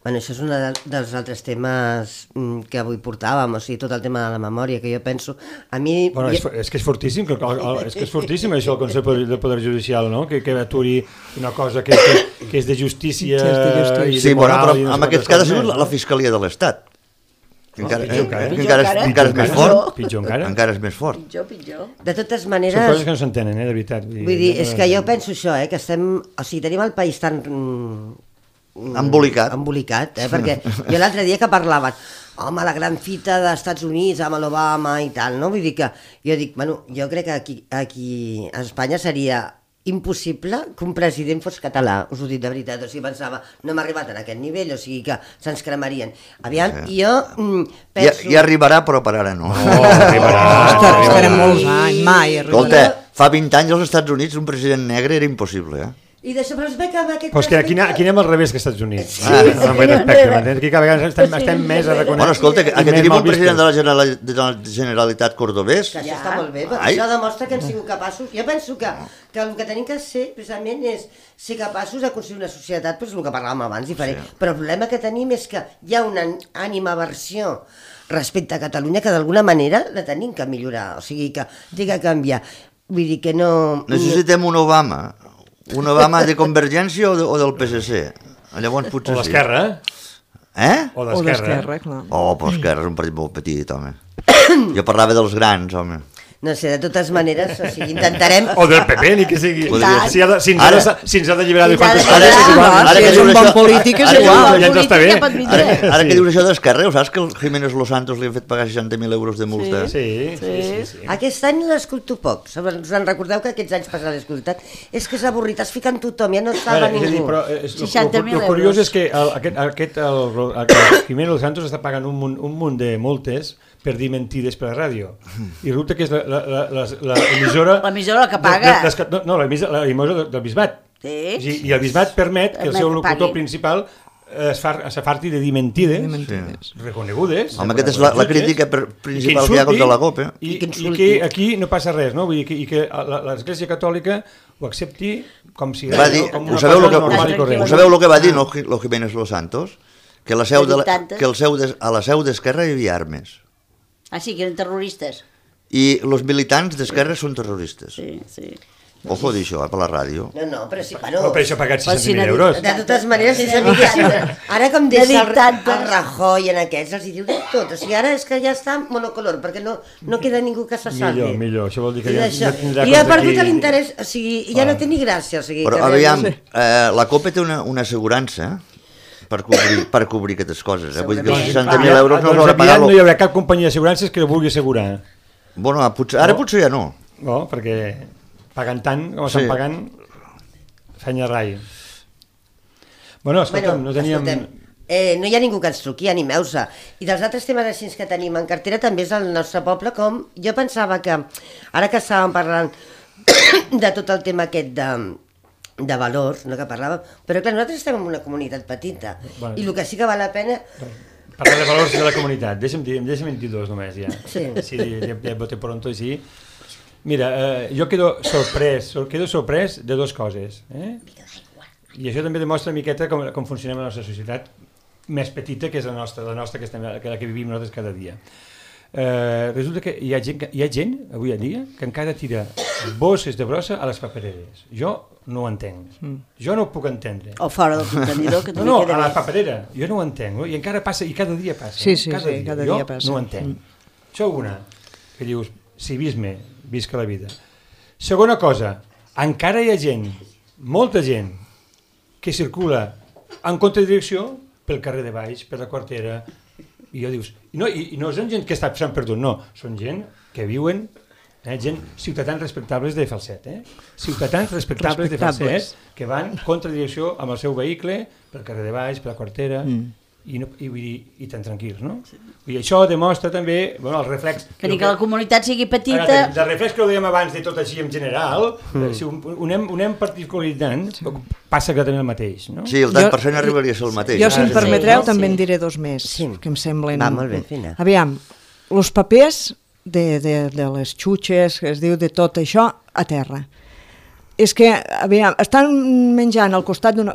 Bueno, això és un dels altres temes que avui portàvem, o sigui, tot el tema de la memòria, que jo penso... A mi... Bueno, és que és fortíssim, això, el Consell del Poder Judicial, no? Que aturi una cosa que és de justícia i de moral... Sí, però en aquest cas ha sigut la Fiscalia de l'Estat. Encara és més fort. Pitjor encara. Encara és més fort. Pitjor. De totes maneres... Són coses que no s'entenen, de veritat. Vull dir, és que jo penso això, que estem... O sigui, tenim el país tan... embolicat, perquè jo l'altre dia que parlaven home, la gran fita dels Estats Units amb l'Obama i tal, no? Vull dir que jo dic, bueno, jo crec que aquí a Espanya seria impossible que un president fos català, us ho dic de veritat, o sigui, pensava, no hem arribat a aquest nivell, o sigui que se'ns cremarien. Aviam, jo penso... Ja arribarà, però per ara no. Estarem molts anys, mai arribarà. Escolta, fa 20 anys als Estats Units un president negre era impossible, I d'això, però es ve que amb aquest... Però és que aquí anem al revés que als Estats Units. Amb aquest aspecte, m'entens? Aquí cada vegada estem més a reconèixer... Bueno, escolta, que tenim un president de la Generalitat cordobès... Que això està molt bé, però això demostra que hem sigut capaços... Jo penso que el que tenim que ser, precisament, és ser capaços de construir una societat, doncs el que parlàvem abans, diferent. Però el problema que tenim és que hi ha una animaversió respecte a Catalunya que d'alguna manera la tenim que millorar, o sigui que té que canviar. Vull dir que no... Necessitem un Obama de Convergència o del PSC? Llavors potser o d'Esquerra, O d'Esquerra, clar. Però Esquerra és un partit molt petit, home. Jo parlava dels grans, home. No sé, de totes maneres, o sigui, intentarem... O del PP, ni que sigui. Podria Si ens ha d'alliberar de quantes Ara, coses, és igual. ara Si que és un dius bon això- polític, és ara que igual. ja ens està bé. Ara que dius això d'Esquerra, saps que el Jiménez Los Santos li han fet pagar 60.000 euros de multa? Sí. Aquest any l'he escolto poc. Us en recordeu que aquests anys passats l'he escoltat? És que és avorrit, es fiquen tothom, ja no estava És a dir, ningú. però 60.000 el curiós euros. és que el Jiménez Los Santos està pagant un munt de multes per dir mentides per la ràdio. I resulta que és l'emissora... L'emissora que paga. No, l'emissora del Bisbat. Sí. I el Bisbat permet que el seu Permet que locutor pagui. principal s'afarti de dir mentides reconegudes. Home, aquesta és la crítica principal que hi ha contra la COP. I que aquí no passa res, no? Vull dir i que l'Església Catòlica ho accepti com si Va dir, com ho una sabeu cosa el normal i que, corrent. ho sabeu el que va dir lo Jiménez Los Santos? Que, la seu de la, Tantes. que a la seu d'Esquerra hi havia armes. Ah, sí, que eren terroristes. I els militants d'Esquerra són terroristes. Sí. Ojo, dir això, per la ràdio. No, però sí, No, per això ha pagat Però si 60.000 n'ha dit- euros. De totes maneres, si sabiguessin... Ara com deixa dit el tantes. Rajoy en aquests, els hi diu de tot. O sigui, ara és que ja està monocolor, perquè no queda ningú que se salvi. Millor. Això vol dir que I ja això. no tindrà I ha contra perdut qui- l'interès, o sigui, ja no té ni gràcia. O sigui, Però que aviam, realment- la COPE té una assegurança per cobrir aquestes coses. Vull dir que els Segurament. 60.000 euros no els Doncs haurà pagat. aviat no hi haurà cap companyia d'assegurances que ho vulgui assegurar. Bueno, ara potser ja no. No, perquè pagant tant com Sí. estan pagant, fenya rai. Bueno, escolta'm, no teníem... no hi ha ningú que ens truqui, animeu-se. I dels altres temes així que tenim en cartera també és el nostre poble, com jo pensava que, ara que estàvem parlant de tot el tema aquest de valors, no que parlàvem, però clar, nosaltres estem en una comunitat petita, Bueno. i el que sí que val la pena... Parlar de valors de la comunitat. Deixa'm dir dos només, ja. Sí. Si ja vote pronto, sí. Mira, jo quedo sorprès de dues coses. I això també demostra una miqueta com funcionem la nostra societat més petita, que és la nostra que la que vivim nosaltres cada dia. Resulta que hi ha gent, avui en dia, que encara tira bosses de brossa a les papereres. Jo no ho entenc. Jo no ho puc entendre. O fora del contenidor, que també No, queda a la bé. paperera. Jo no ho entenc. I encara passa, i cada dia passa. Sí, Cada dia jo passa. no ho entenc. Això una, que dius, civisme, visca la vida. Segona cosa, encara hi ha gent, molta gent, que circula en contradirecció pel carrer de baix, per la quartera, i jo dius, i no són gent que s'han perdut, no, són gent que viuen, gent, ciutadans respectables de falset, ciutadans respectables de falset, que van contradirecció amb el seu vehicle, pel carrer de baix, per la quartera, i tan tranquils, no? I això demostra també, el reflex... Que ni que la comunitat sigui petita... El reflex que ho dèiem abans de tot així en general, si ho anem particularitzant, passa exactament el mateix, no? Sí, el tant per cent arribaria a ser el mateix. Jo, si em Sí, permetreu, sí. també en diré dos més, Sí. que em semblen... Va, molt bé, Fina. Aviam, els papers de les xutxes, que es diu de tot això, a terra. És que, aviam, estan menjant al costat d'una...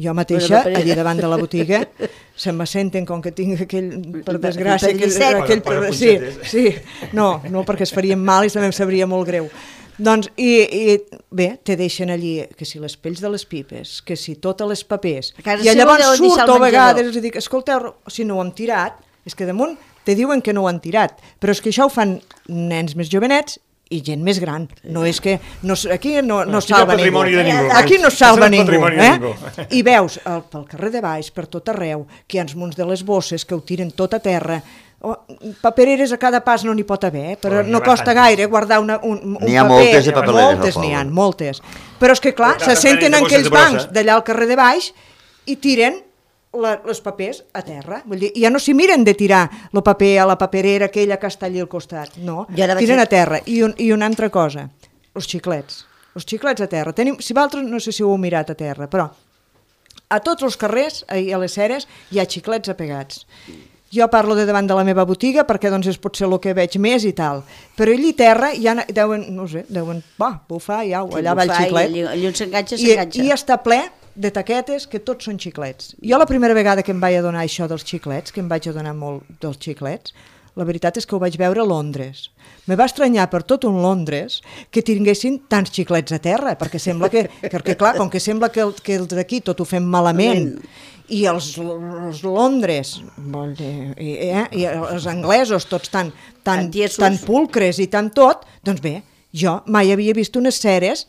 Jo mateixa, allí davant de la botiga, se me senten com que tinc aquell, per desgràcia, Posa sí, no, perquè es farien mal i també em sabria molt greu. Doncs, i bé, te deixen allí, que si les pells de les pipes, que si totes les papers, A casa i seva llavors deuen deixar al surto a vegades menjador. i dic, escolteu, si no ho hem tirat, és que damunt te diuen que no ho han tirat, però és que això ho fan nens més jovenets i gent més gran. No és que aquí no salva ningú. Aquí no salva ningú. I veus pel carrer de baix, per tot arreu, que hi ha uns munts de les bosses que ho tiren tot a terra. Papereres a cada pas no n'hi pot haver, però no costa gaire guardar un paper. N'hi ha moltes de papereres. Moltes n'hi ha, moltes. Però és que clar, se senten en aquells bancs d'allà al carrer de baix i tiren els papers a terra. Vull dir, ja no s'hi miren de tirar el paper a la paperera aquella que està allà al costat. No, tiren a terra. I una altra cosa, els xiclets. Els xiclets a terra. Si vosaltres, no sé si ho heu mirat a terra, però a tots els carrers, a les ceres, hi ha xiclets apegats. Jo parlo de davant de la meva botiga perquè doncs és potser el que veig més i tal. Però allí a terra ja deuen, no sé, bufar, ja, allà va el xiclet. Allà on s'enganxa, s'enganxa. I està ple de taquetes que tots són xiclets. Jo la primera vegada que em vaig adonar això dels xiclets, que em vaig adonar molt dels xiclets, la veritat és que ho vaig veure a Londres. Me va estranyar per tot un Londres que tinguessin tants xiclets a terra, perquè sembla perquè clar, com que sembla que els d'aquí tot ho fem malament, i els Londres, i els anglesos tots tan pulcres i tan tot, doncs bé, jo mai havia vist unes ceres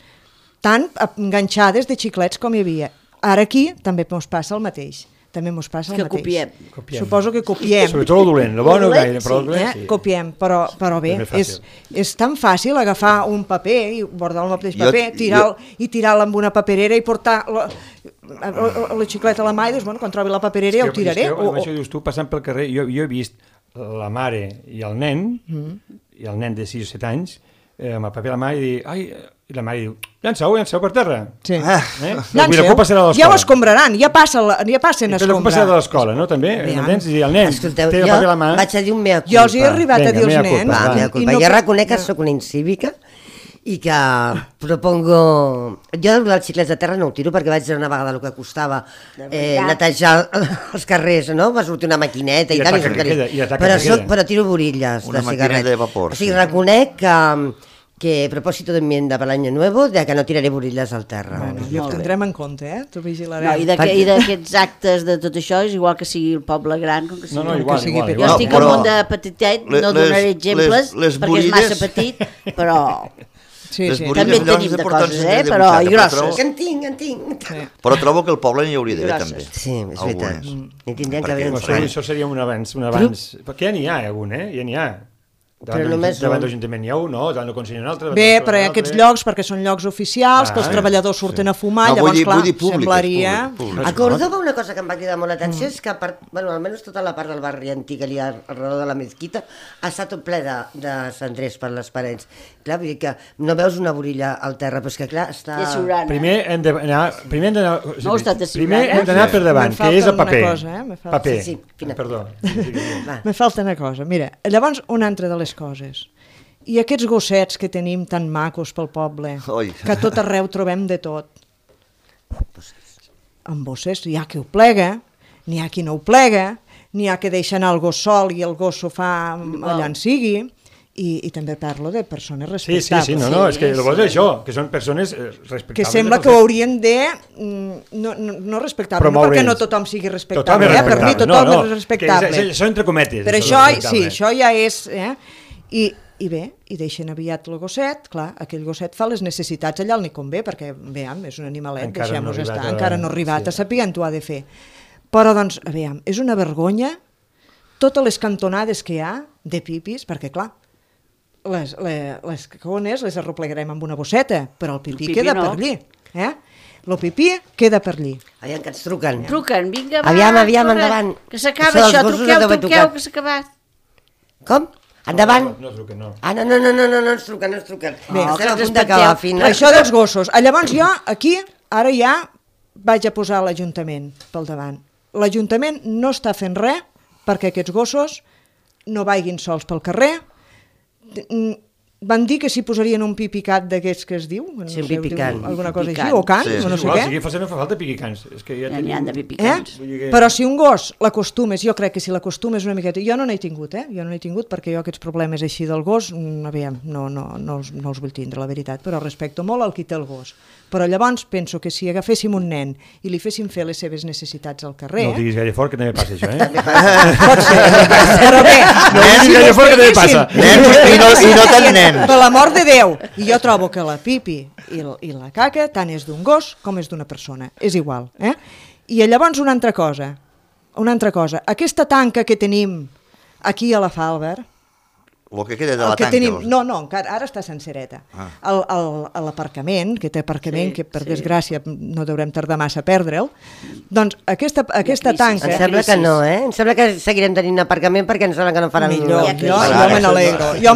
tan enganxades de xiclets com hi havia. Ara aquí també ens passa el mateix. També ens passa el mateix. Copiem. Suposo que copiem. Sobretot el dolent, el bon no gaire, però el dolent sí. Copiem, però bé, és tan fàcil agafar un paper i bordar el mateix paper, tirar-lo amb una paperera i portar la xicleta a la mà i dius, bueno, quan trobi la paperera ja ho tiraré. Això dius tu, passant pel carrer, jo he vist la mare i el nen de 6 o 7 anys, amb el paper a la mà i dir, i la mare diu, llanceu per terra. Sí. Llanceu, ja ho escombraran, ja passen a escombrar. La culpa serà de l'escola, no? També, m'entens? I el nen té el paper a la mà. Vaig a dir un mea culpa. Jo els he arribat a dir als nens. Jo reconec que soc una incívica i que propongo... Jo dels xiclets de terra no ho tiro perquè vaig dir una vegada el que costava netejar els carrers, no? Va sortir una maquineta i tal, però tiro borilles de cigarret. Una maquineta de vapor. O sigui, reconec que propósito de enmienda per l'any nuevo de que no tiraré borilles al terra. Bueno, i ho tindrem en compte, T'ho vigilarem. No, I d'aquests actes de tot això és igual que sigui el poble gran com que sigui... No, igual. Jo estic al món de petitet, no donaré exemples perquè és massa petit, però... Sí. També en tenim de coses, però i grosses. En tinc. Però trobo que el poble n'hi hauria d'haver també. Sí, és veritat. N'hi tindrien que haver uns Això seria un avanç. Perquè ja n'hi ha algun, Ja n'hi ha. Davant l'Ajuntament hi ha un, no? Davant el Consell un altre. Bé, però hi ha aquests llocs, perquè són llocs oficials, que els treballadors surten a fumar, llavors, clar, semblaria... A Córdoba una cosa que em va cridar molt l'atenció és que, almenys tota la part del barri antic que hi ha alrededor de la mesquita, ha estat tot ple de cendrers per les parets. Clar, vull dir que no veus una borilla al terra, però és que, clar, està... Primer hem d'anar per davant, que és el paper. Paper, perdó. Me falta una cosa, mira, llavors una altra de les coses. I aquests gossets que tenim tan macos pel poble, que a tot arreu trobem de tot. Amb bosses hi ha qui ho plega, n'hi ha qui no ho plega, n'hi ha que deixen el gos sol i el gos s'ho fa allà en sigui, i també parlo de persones respectables. Sí, és que el bo és això, que són persones respectables. Que sembla que ho haurien de no respectable, no perquè no tothom sigui respectable, per mi tothom és respectable. Això entre cometes. Però això ja és... I bé, i deixen aviat el gosset, clar, aquell gosset fa les necessitats allà on li convé, perquè, veiem, és un animalet, deixem-nos estar, encara no ha arribat a saber on ho ha de fer. Però, doncs, veiem, és una vergonya totes les cantonades que hi ha de pipis, perquè, clar, les cagones les arreplegarem amb una bosseta, però el pipí queda per allí, El pipí queda per allí. Aviam, que ens truquen. Truquen, vinga, va. Aviam, endavant. Que s'acaba això, truqueu, que s'ha acabat. Com? Endavant? No truquen, no. No ens truquen. Bé, estem a punt d'acabar, Fina. Això dels gossos. Llavors jo, aquí, ara ja vaig a posar l'Ajuntament pel davant. L'Ajuntament no està fent res perquè aquests gossos no vagin sols pel carrer. Van dir que s'hi posarien un pipicant d'aquests que es diu, alguna cosa així, o cans, o no sé què. Sí, no fa falta pipicants. N'hi ha de pipicants. Però si un gos l'acostumes, jo crec que si l'acostumes una miqueta... Jo no n'he tingut, jo no n'he tingut perquè jo aquests problemes així del gos, aviam, no els vull tindre, la veritat, però respecto molt al qui té el gos. Però llavors penso que si agaféssim un nen i li féssim fer les seves necessitats al carrer... No ho diguis gaire fort, que també passa això, Pot ser, però bé... No ho diguis gaire fort, que també passa. I no tan nen. Per l'amor de Déu! I jo trobo que la pipi i la caca tant és d'un gos com és d'una persona. És igual. I llavors una altra cosa. Aquesta tanca que tenim aquí a la Falber... El que queda de la tanca. No, encara, ara està sencereta. L'aparcament, que té aparcament, que per desgràcia no deurem tardar massa a perdre'l, doncs aquesta tanca... Em sembla que no, Em sembla que seguirem tenint aparcament perquè em sembla que no faran... Millor, jo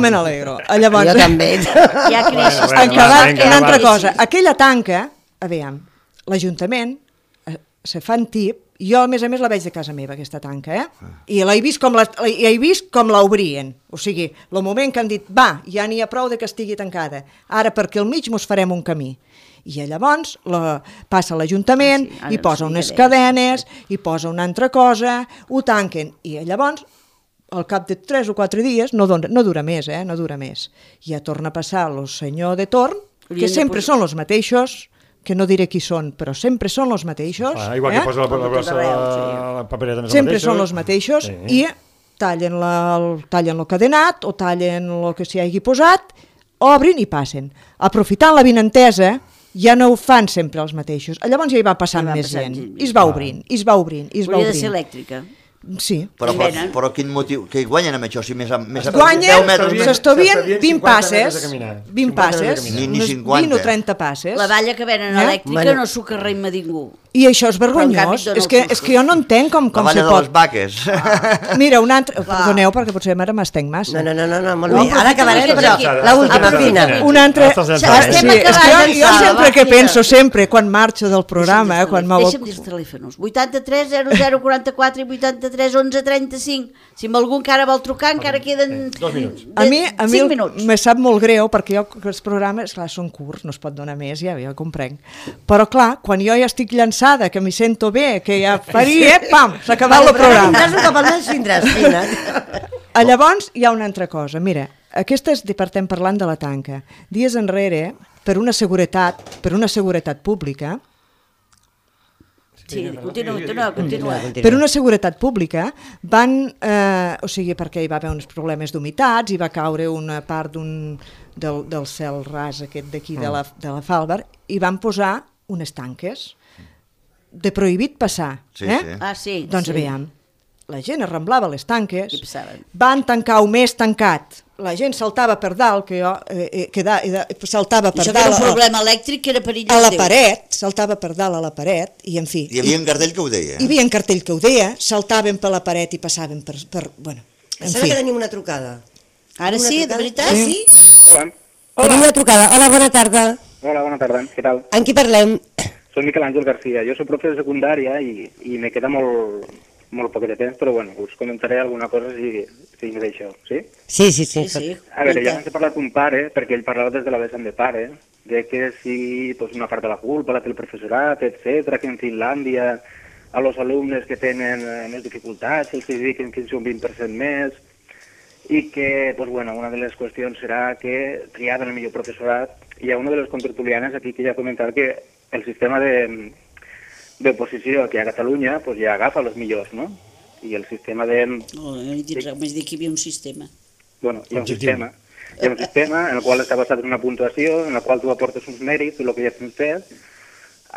me n'alegro. Jo també. Hi ha crisi. Una altra cosa, aquella tanca, aviam, l'Ajuntament se fan tip, jo a més la veig de casa meva, aquesta tanca, i he vist com l'obrien, o sigui, el moment que han dit, va, ja n'hi ha prou de que estigui tancada, ara perquè al mig mos farem un camí. I llavors passa l'Ajuntament, i posa unes cadenes, i posa una altra cosa, ho tanquen, i llavors al cap de 3 o 4 dies, no dura més, no dura més, ja torna a passar el senyor de torn, que sempre són els mateixos, que no diré qui són, però sempre són els mateixos. Igual que posa la papereta més sempre són els mateixos i tallen el cadenat o tallen el que s'hi hagi posat, obrin i passen. Aprofitant la vinentesa, ja no ho fan sempre els mateixos. Llavors ja hi va passant més gent. I es va obrint, i es va obrint, i es va Hauria de obrint. ser elèctrica. Sí. Però quin motiu? Què guanyen amb això? Si més a Guanyen, 10 metres... s'estovien 20 passes, 20 passes, unes 20 o 30 passes. La valla que venen elèctrica no s'ho carreima ningú. I això és vergonyós. És que jo no entenc com se pot... La valla de les vaques. Mira, una altra... Perdoneu, perquè potser ara m'estenc massa. No, molt bé. Ara acabarem, però l'última, Fina. Una altra... Jo sempre que penso, quan marxo del programa... Deixa'm dir els telèfons. 83 00 44 i 83 11 35. Si algú encara vol trucar, encara queden 2 minuts. A mi minuts. me sap molt greu, perquè els programes, clar, són curts, no es pot donar més, ja comprenc. Però clar, quan jo ja estic llançada, que m'hi sento bé, que ja faria, pam, s'ha acabat el programa. Tindràs un cop al mes, tindràs, Fina. Llavors, hi ha una altra cosa. Mira, aquesta estem parlant de la tanca. Dies enrere, per una seguretat pública, Sí, continua. per una seguretat pública van, o sigui, perquè hi va haver uns problemes d'humitats, hi va caure una part del cel ras aquest d'aquí de la Falber, i van posar unes tanques de prohibit passar. Sí. Doncs aviam, la gent arramblava les tanques, I passaven. van tancar un més tancat, la gent saltava per dalt, saltava per Això dalt era un problema elèctric que era perillós. a la paret, saltava per dalt a la paret, i en fi... Hi havia un cartell que ho deia. Hi havia un cartell que ho deia, saltaven per la paret i passaven per bueno, en Sembla fi. que tenim una trucada. Ara sí, de veritat? Sí? Hola. Tenim una trucada. Hola, bona tarda. Hola, bona tarda. Què tal? En qui parlem? Soy Miquel Ángel García. Jo soc profe de secundària i me queda molt poc de temps, però bueno, us comentaré alguna cosa si me deixeu, sí? Sí. A veure, ja abans he parlat d'un pare, perquè ell parlava des de la vessant de pare, de que si pues, una part de la culpa la té el professorat, etc, que en Finlàndia a los alumnes que tenen més dificultats els dediquen fins a un 20% més, i que, pues, bueno, una de les qüestions serà que triaven el millor professorat. Hi ha una de les contertulianes aquí que ja ha comentat que el sistema d'oposició que hi ha a Catalunya pues, ja agafa els millors, no? I el sistema de... No he dit res, m'has dit que hi havia un sistema. Bueno, hi ha un sistema. Hi ha un sistema en el qual està basat en una puntuació, en el qual tu aportes uns mèrits, el que ja tens fet,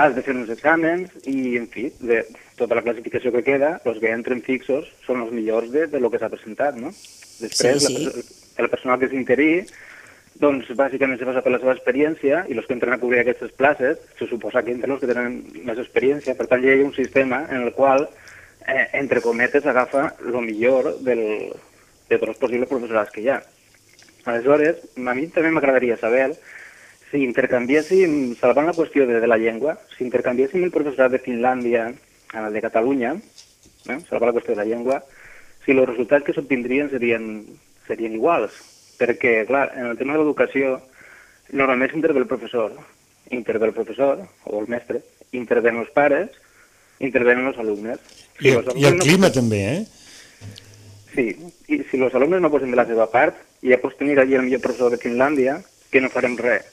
has de fer uns exàmens i, en fi, de tota la classificació que queda, els que entren fixos són els millors de lo que s'ha presentat, no? Després, el personal que és interí, doncs bàsicament se basa per la seva experiència i els que entren a cobrir aquestes places se suposa que entren els que tenen més experiència. Per tant, hi ha un sistema en el qual, entre cometes, agafa el millor de tots els possibles professorats que hi ha. Aleshores, a mi també m'agradaria saber si intercanviéssim, salvant la qüestió de la llengua, si intercanviéssim el professorat de Finlàndia amb el de Catalunya, salvant la qüestió de la llengua, si els resultats que s'obtindrien serien iguals. Perquè, clar, en el tema de l'educació, normalment intervé el professor o el mestre, intervenen els pares, intervenen els alumnes. I el clima també, Sí, i si els alumnes no posen de la seva part, ja pots tenir allí el millor professor de Finlàndia, que no farem res.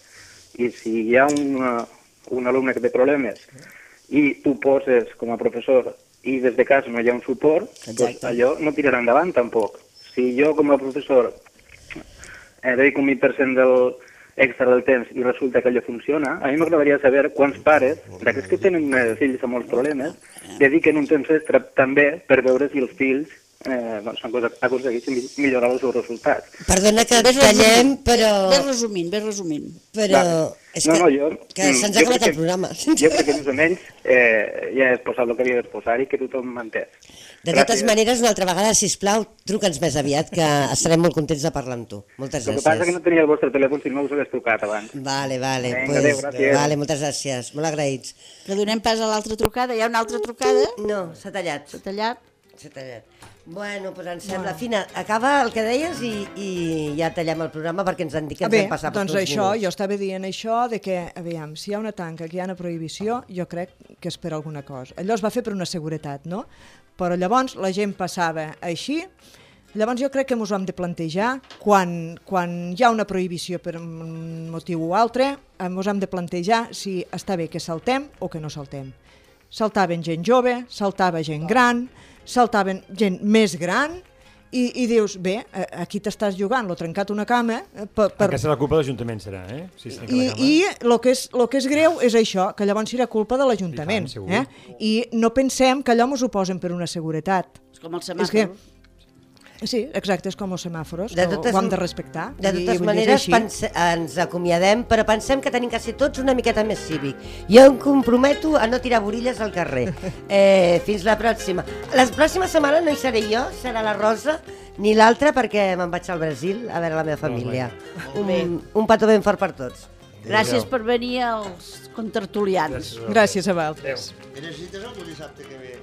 I si hi ha un alumne que té problemes i tu poses com a professor i des de casa no hi ha un suport, doncs allò no tirarà endavant tampoc. Si jo com a professor dedico un 20% extra del temps i resulta que allò funciona, a mi m'agradaria saber quants pares, d'aquests que tenen fills amb molts problemes, dediquen un temps extra també per veure si els fills aconsegueixen millorar els seus resultats. Perdona que tallem, però... Ves resumint. Però és que se'ns ha acabat el programa. Jo crec que més o menys ja he exposat el que havia d'exposar i que tothom m'ha entès. De totes maneres, una altra vegada, sisplau, truca'ns més aviat, que estarem molt contents de parlar amb tu. Moltes gràcies. El que passa és que no tenia el vostre telèfon, si no us hagués trucat abans. Vale. Vinga, adéu, gràcies. Vale, moltes gràcies, molt agraïts. Que donem pas a l'altra trucada. Hi ha una altra trucada? No, s'ha tallat. S'ha tallat? S'ha tallat. Bueno, doncs em sembla... Fina, acaba el que deies i ja tallem el programa perquè ens han dit que ens hem passat doncs per això, jo estava dient això de que, aviam, si hi ha una tanca, que hi ha una prohibició, jo crec que és per alguna cosa. Allò es va fer per una seguretat, no? Però llavors la gent passava així, Llavors jo crec que ens ho hem de plantejar quan hi ha una prohibició per un motiu o altre, ens hem de plantejar si està bé que saltem o que no saltem. Saltaven gent jove, saltava gent gran, saltaven gent més gran, i dius, bé, aquí t'estàs jugant, l'ho trencat una cama... Aquesta és la culpa de l'Ajuntament, serà, eh? Si I el que és greu és això, que llavors serà culpa de l'Ajuntament. I no pensem que allò ens ho posen per una seguretat. És com els semàfors. Sí, exacte, és com els semàfors, que ho hem de respectar. De totes maneres, ens acomiadem, però pensem que tenim que ser tots una miqueta més cívic. Jo em comprometo a no tirar borilles al carrer. Fins la pròxima. La pròxima setmana no hi seré jo, serà la Rosa, ni l'altra, perquè me'n vaig al Brasil a veure la meva família. Un petó ben fort per tots. Gràcies per venir als contertulians. Gràcies a vosaltres. I necessites algú dissabte que ve?